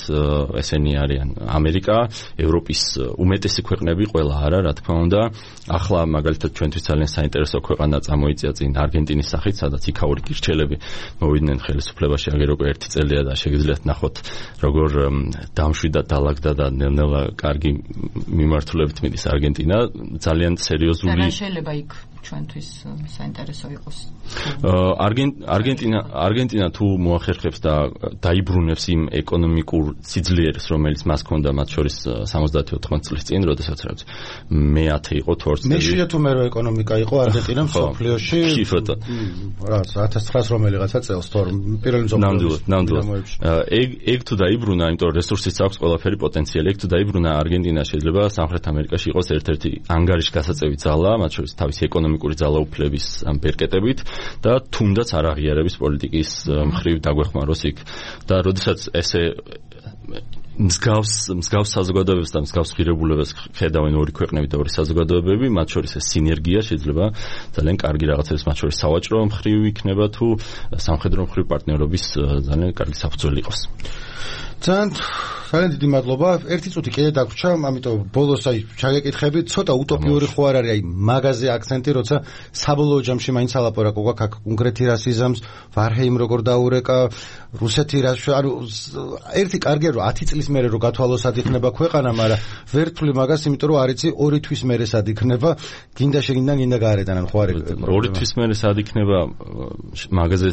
ესენი არიან ამერიკა, ევროპის უმეტესი ქვეყნები, ყველა არა, რა თქმა უნდა. ახლა მაგალითად ჩვენთვის ძალიან საინტერესო ქვეყანა წამოიწია წინ არგენტინის სახით, სადაც იქაური გირჩელები მოვიდნენ ხელისუფლებაში აგერ უკვე 1 წელია და შეგიძლიათ ნახოთ, როგორ დამშვიდა, დალაგდა და ნელ-ნელა კარგი მიმართულებით მიდის არგენტინა. ძალიან სერიოზული
და შეიძლება იქ ჩვენთვის საინტერესო იყოს.
არგენტინა თუ მოახერხებს და დაიბრუნებს იმ ეკონომიკურ სიძლიერეს, რომელიც მას ჰქონდა მათ შორის 70-80 წლის წინ, როდესაც რაც მე-10 იყო თუ 20 წელი.
მეშვიდე თუ მე რო ეკონომიკა იყო არგენტინა მსოფლიოში. რაც 1900 რომელიღაცა წელს თორ პირველი მსოფლიოს.
ნამდვილად. ეგ თუ დაიბრუნა, იმიტომ რომ რესურსიც აქვს ყველაფერი პოტენციალი. ეგ თუ დაიბრუნა არგენტინა შეიძლება სამხრეთ ამერიკაში იყოს ერთ-ერთი ანგარიში გასაწევი ძალა, მათ შორის თავისი ეკონომიკური ძალაუფლების ამ პერკეტებით და თუნდაც არაღიარების პოლიტიკის მხრივ დაგვეხმაროს იქ. და როდესაც ესე მსგავს საზოგადოებებს და მსგავს ღირებულებებს ხედავენ ორი ქვეყნები და ორი საზოგადოებები, მათ შორის ეს სინერგია შეიძლება ძალიან კარგი რაღაცების, მათ შორის სავაჭრო მხრივ იქნება თუ სამხედრო მხრივ პარტნიორობის ძალიან კარგი საფუძველი იყოს. ძალიან დიდი მადლობა. ერთი წუთი კიდე დაგვრჩა, ამიტომ ბოლოს აი ჩაგეკითხებით, ცოტა უტოპიური ხო არ არის აი მაგაზე აქცენტი, როცა საბოლოო ჯამში მაინც ალაპარაკო გაქვს აქ კონკრეტი რასიზმს, ვარჰეიმ როგორ დაურეკა, რუსეთი რა, ანუ ერთი კარგია რომ 10 წლის მერე რო გათვალოსად იქნება ქვეყანა, მაგრამ ვერ თვლი მაგას, იმიტომ რომ არ იცი 2 თვის მერე სად იქნება, გინდა შეგინდა გინდა გაარეტანენ ხო არის? 2 თვის მერე სად იქნება მაგაზე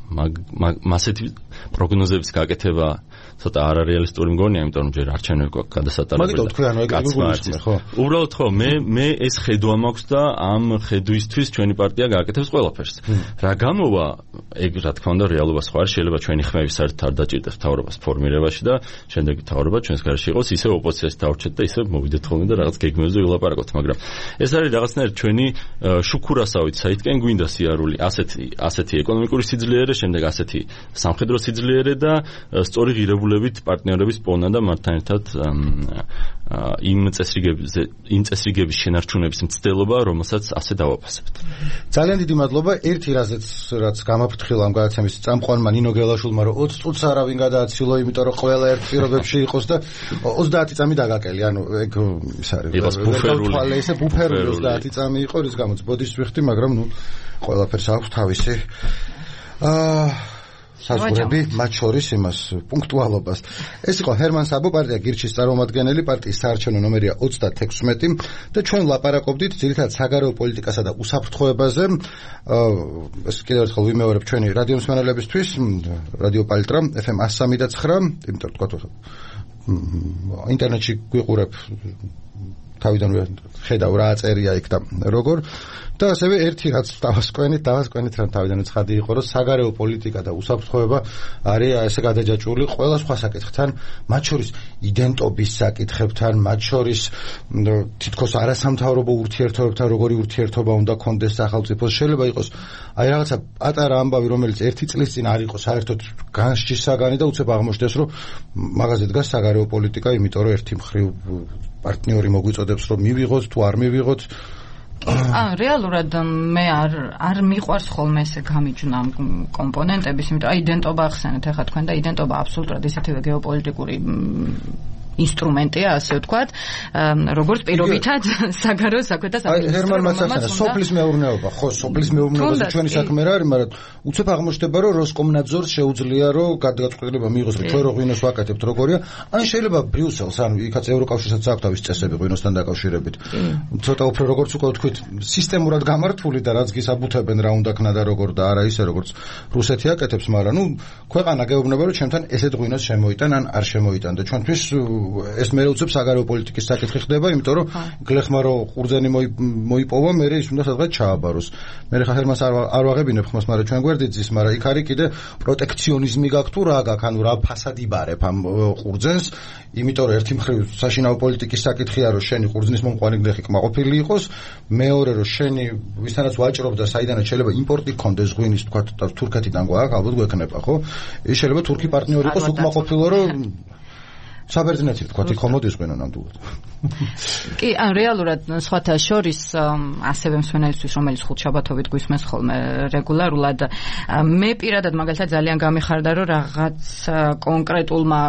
მასეთი პროგნოზების გაკეთება ცოტა არარეალისტური მგონია, იმიტომ რომ ჯერ არჩევნები გვაქვს გადასატარებელი.
მაგითო თქვი, ანუ ეგრე ხო?
უბრალოდ ხო, მე ეს ხედვა მაქვს და ამ ხედვისთვის ჩვენი პარტია გააკეთებს ყველაფერს. რა გამოვა, ეგ რა თქმა უნდა რეალობა სხვა არის, შეიძლება ჩვენი ხმები საერთოდ არ დაჭირდეს მთავრობას ფორმირებაში და შემდეგ მთავრობა ჩვენს გარშე იყოს, ისე ოპოზიციას დავრჩეთ და ისე მოვიდეთ ხოლმე და რაღაც გეგმებზე ვილაპარაკოთ, მაგრამ ეს არის რაღაცნაირად ჩვენი შუქურასავით, საითკენ გვინდა სიარული, ასეთი ეკონომიკური სიძლიერე, შემდეგ ასეთი სამხედრო სიძლიერე და სწორი ღირებულებით პარტნიორების პოვნა და მათთან ერთად იმ წესრიგების შენარჩუნების მცდელობა, რომელსაც ასე დავაფასებთ.
ძალიან დიდი მადლობა. ერთი რაც გამაფრთხილა ამ გადაცემის წამყვანმა ნინო გელაშვილმა, რომ 20 წუთს არავინ გადააცილო, იმიტომ რომ ყველა ერთ პირობებში იყოს და 30 წამი დაგაკელი. ანუ ეგ ის არის.
იყოს ბუფერული.
ესე ბუფერული 30 წამი იყო, რის გამოც ბოდიშს ვიხდი, მაგრამ ნუ ყველაფერს აქვს თავისი საზღვრები, მათ შორის იმას პუნქტუალობას. ეს იყო ჰერმან საბო, პარტია გირჩის წარმომადგენელი, პარტიის საარჩევნო ნომერია 36 და ჩვენ ლაპარაკობდით ძირითადად საგარეო პოლიტიკასა და უსაფრთხოებაზე. ეს კიდევ ერთხელ ვიმეორებ ჩვენი რადიო მსმენელებისთვის, რადიო პალიტრა FM 103.9, იმიტომ თქვა ინტერნეტში გვიყურებ თავიდან ხედავ რა წერია იქ და როგორ და ასევე ერთი რაც დავასკვენით რომ თავიდან ცხადი იყო რომ საგარეო პოლიტიკა და უსაფრთხოება არის ესე გადაჯაჭვული ყველა სხვა საკითხთან, მათ შორის იდენტობის საკითხებთან, მათ შორის თითქოს არასამთავრობო ურთიერთობებთან, როგორი ურთიერთობა უნდა კონდეს სახელმწიფოს. შეიძლება იყოს აი რაღაცა პატარა ამბავი, რომელიც ერთი წლის წინ არ იყო საერთოდ განსჯის საგანი და უცებ აღმოჩნდეს რომ მაგაზე დგას საგარეო პოლიტიკა, იმიტომ რომ ერთი მხრივ პარტნიორი მოგვიწოდებს რომ მივიღოთ თუ არ მივიღოთ.
რეალურად მე არ მიყვარს ხოლმე ესე გამიჯნა ამ კომპონენტების, იმიტომ აი იდენტობა ახსენეთ ახლა თქვენ და იდენტობა აბსოლუტურად ისეთივე გეოპოლიტიკური ინსტრუმენტია, ასე ვთქვათ, როგორც პირობითად საგარეო საქმეთა სამინისტრო.
ჰერმან მაცახანა, სოფლის მეურნეობა, ხო, სოფლის მეურნეობაზე ჩვენი საქმე რა არის, მაგრამ უცებ აღმოჩნდება, რომ როსკომნაძორს შეუძლია, რომ გადაწყვეტილება მიიღოს, რომ ჩვენ რო ღვინოს ვაკეთებთ, როგორია, ან შეიძლება ბრიუსელს, ან იქაც ევროკავშირსაც აქვს თავის წესები ღვინოსთან დაკავშირებით. ცოტა უფრო როგორც უკვე ვთქვით, სისტემურად გამართული და რაც გისაბუთებენ რა უნდა ქნა და როგორ და არა ისე როგორც რუსეთი აკეთებს, მაგრამ ნუ ქვეყანა გეუბნება, რომ ჩვენთან ესეთ ღვინოს შემოიტან ან არ შემოიტან და ჩვენთვის ეს მე უცებ საგარეო პოლიტიკის საკითხი ხდება, იმიტომ რომ გლეხმა რო ყურძენი მოიპოვა, მე ის უნდა სადღაც ჩააბაროს. მე ხა ჰერმანს არ ვაღებინებ ხმას, მაგრამ ჩვენ გვერდით ზის, მაგრამ იქ არის კიდე პროტექციონიზმი გაქვს თუ რა გაქვს, ანუ რა ფასადი ბარებ ამ ყურძენს, იმიტომ რომ ერთი მხრივ საშინაო პოლიტიკის საკითხია, რომ შენი ყურძნის მომყვანი გლეხი კმაყოფილი იყოს, მეორე რომ შენი ვისთანაც ვაჭრობ და საიდანაც შეიძლება იმპორტი გქონდეს ღვინის, თქვა თურქეთიდან გვაქვს, ალბათ გვექნება, ხო? ის შეიძლება თურქი პარტნიორი იყოს უკმაყოფილო, რომ საბერძნეთი თქვა იქ ხომოდის ღვინო ნამდვილად.
კი, ან რეალურად სხვათა შორის ასევე მსმენელისთვის, რომელიც ხუთშაბათობით გვისმენს ხოლმე რეგულარულად, მე პირადად მაგალითად ძალიან გამიხარდა, რომ რაღაც კონკრეტულმა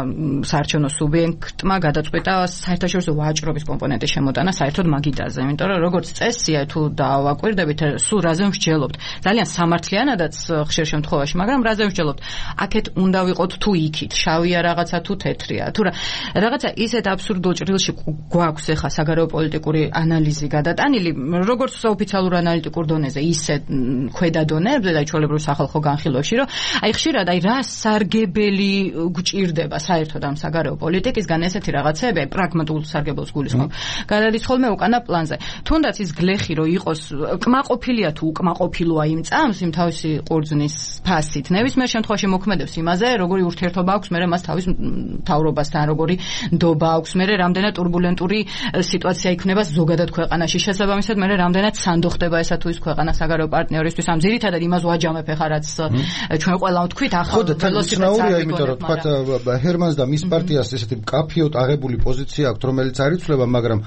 საარჩევნო სუბიექტმა გადაწყვიტა საერთაშორისო ვაჭრობის კომპონენტის შემოტანა საერთოდ მაგიდაზე, იმიტომ რომ როგორც წესია თუ დავაკვირდებით, სულ რაზე მსჯელობთ. ძალიან სამართლიანადაც ხშირ შემთხვევაში, მაგრამ რაზე მსჯელობთ? აქეთ უნდა ვიყოთ თუ იქით, შავია რაღაცა თუ თეთრია, თუ რაღაცა ისეთ აბსურდულ ჭრილში გვაქვს ახლა საგარეო პოლიტიკური ანალიზი გადატანილი, როგორც საოფიციალურ ანალიტიკურ დონეზე, ისე ქვედა დონეებზე და ჩვეულებრივ სახალხო განხილვებში, რომ აი ხშირად აი რა სარგებელი გვჭირდება საერთოდ ამ საგარეო პოლიტიკისგან, ესეთი რაღაცები, აი პრაგმატულ სარგებელს გულისხმობ. გადადის ხოლმე უკანა პლანზე. თუნდაც ის გლეხი რო იყოს კმაყოფილია თუ უკმაყოფილოა იმ წამს, იმ თავისი ყურძნის ფასით, ნებისმიერ შემთხვევაში მოქმედებს იმაზე, როგორი ურთიერთობა აქვს მერე მას თავის მთავრობასთან, როგორი ნდობა აქვს, მერე რამდენად турბულენტური სიტუაცია იქნება ზოგადად ქვეყანაში. შესაბამისად, მერე რამდენად სანდო ხდება ესა თუ ის ქვეყანა საგარეო პარტნიორისთვის. ამ ძირითადად იმას ვაჯამებ ახლა, რაც ჩვენ ყველამ ვთქვით, ახალ
ველოსიპედს, იმიტომ რომ თქვა ჰერმანს და მის პარტიას ესეთი კაფიოდ აღებული პოზიცია აქვს, რომელიც არ იცვლება, მაგრამ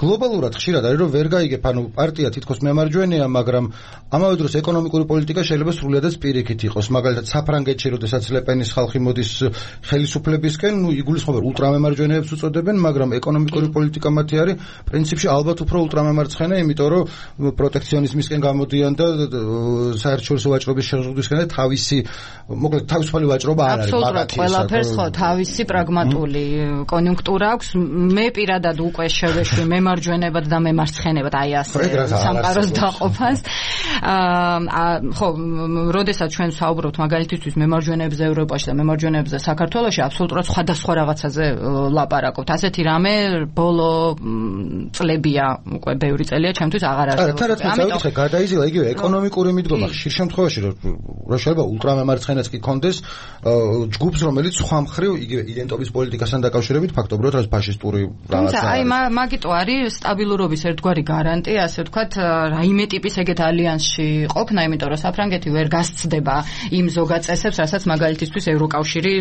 გლობალურად ხშირად არის რომ ვერ გაიგებ, ანუ პარტია თითქოს მემარჯვენეა, მაგრამ ამავე დროს ეკონომიკური პოლიტიკა შეიძლება სრულიადაც პირიქით იყოს. მაგალითად, საფრანგეთში, როდესაც ლეპენის ხალხი მოდის ხელისუფლებისკენ, ნუ იგულისხმება ულტრამემარჯვენეებს უწოდებენ, მაგრამ ეკონომიკური პოლიტიკა მათი არის პრინციპში ალბათ უფრო ულტრამემარცხენე, იმიტომ რომ პროტექციონიზმისკენ გამოდიან და საერთაშორისო ვაჭრობის შეზღუდვისკენ და თავისი, მოკლედ თავისუფალი ვაჭრობა არ არის მაგათი.
ყველაფერს ხო თავისი პრაგმატული კონიუნქტურა აქვს. მე პირადად უკვე შევეშვი მემარჯვენებად და მემარცხენებად, აი ასე სამყაროს დაყოფას. ხო, როდესაც ჩვენ საუბრობთ მაგალითისთვის მემარჯვენეებზე ევროპაში და მემარჯვენეებზე საქართველოში, აბსოლუტურად სხვადასხვა რაღაცაზე ლაპარაკობთ. ასეთი რამე ბოლო წლებია, უკვე ბევრი წელია ჩემთვის აღარ არსებობს.
ამიტომ გადაიზილა იგივე ეკონომიკური მიდგომა ხშირ შემთხვევაში რომ შეიძლება ულტრამემარცხენეც კი კონდეს ჯგუფს, რომელიც სხვა მხრივ იგივე იდენტობის პოლიტიკასთან დაკავშირებით ფაქტობრივად რაც ფაშისტური რაღაცა.
აი მაგიტო არის სტაბილურობის ერთგვარი გარანტია, ასე ვთქვათ, რაიმე ტიპის ეგეთ ალიანსში ყოფნა, იმიტომ რომ საფრანგეთი ვერ გასცდება იმ ზოგად წესებს, რასაც მაგალითისთვის ევროკავშირი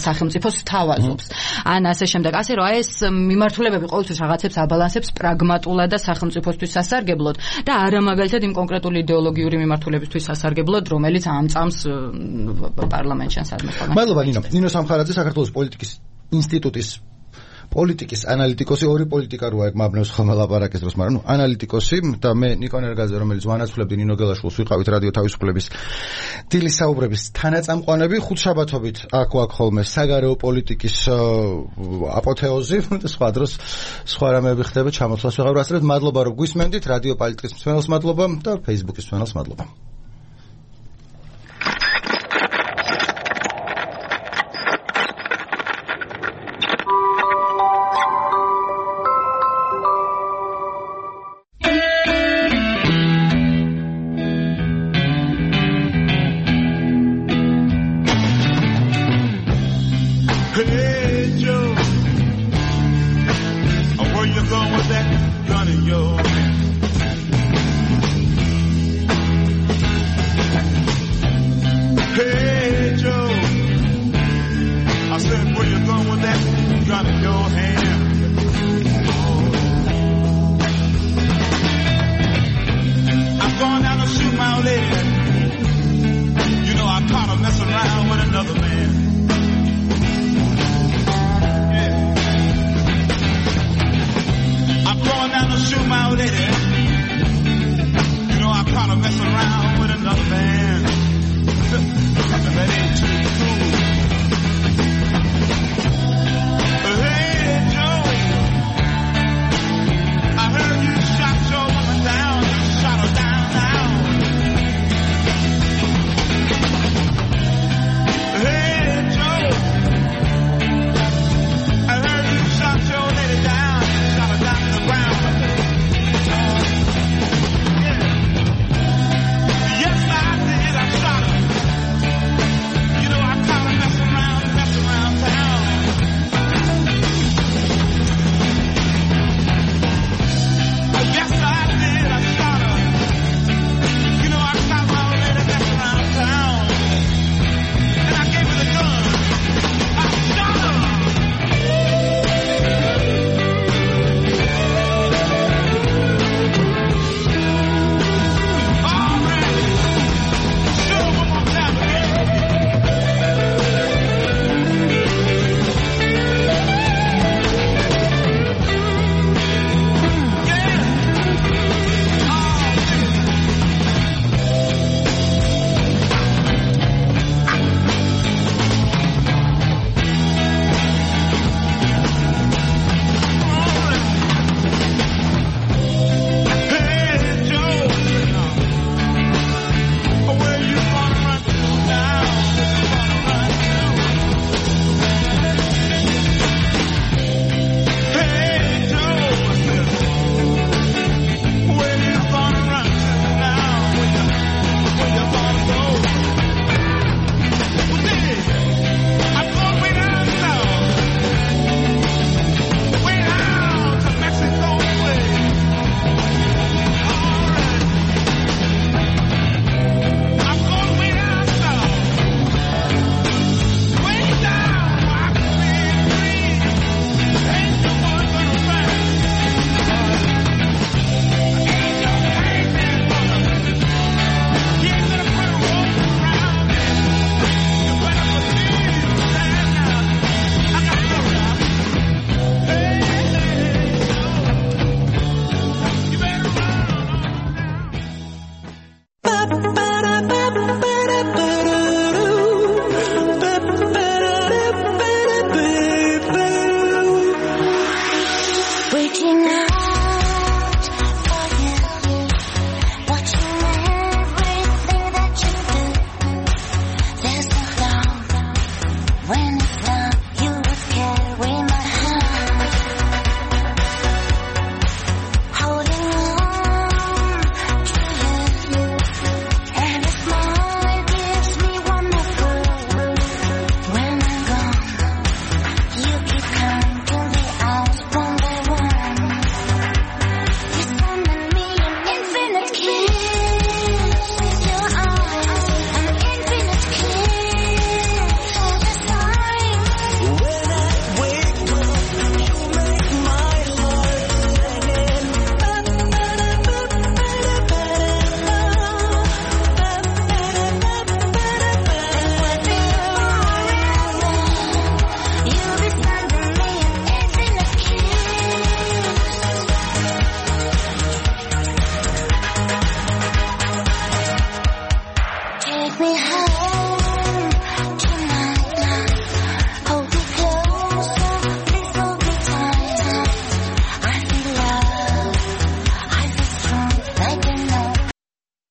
სახელმწიფოს თავაზობს. ან ასე შემდეგ. ასე რომ ეს მიმართულებები ყოველთვის რაღაცებს აბალანსებს პრაგმატულად და სახელმწიფოსთვის სასარგებლოდ და არა მაგალითად იმ კონკრეტული იდეოლოგიური მიმართულებისთვის სასარგებლოდ, რომელიც ამწამს პარლამენტში სადმე.
მადლობა ნინო სამხარაძე, საქართველოს პოლიტიკის ინსტიტუტის პოლიტიკის ანალიტიკოსი, ორი პოლიტიკა როა მაბნევს ხოლმე ლაპარაკის დროს, მაგრამ ანალიტიკოსი და მე ნიკო ნერგაძე, რომელიც ვანაცვლებდი ნინო გელაშვილს, ვიყავით რადიო თავისუფლების დილის საუბრების თანაწამყვანები, ხუთშაბათობით აქ ხოლმე საგარეო პოლიტიკის აპოთეოზი და სხვა დროს სხვა რამეები ხდება, ჩამოსვლას ვეღარ ვასწრებთ. მადლობა რომ გვისმენდით, რადიო პოლიტიკის მსმენელს მადლობა და Facebook-ის მსმენელს მადლობა.
Messing around with another man.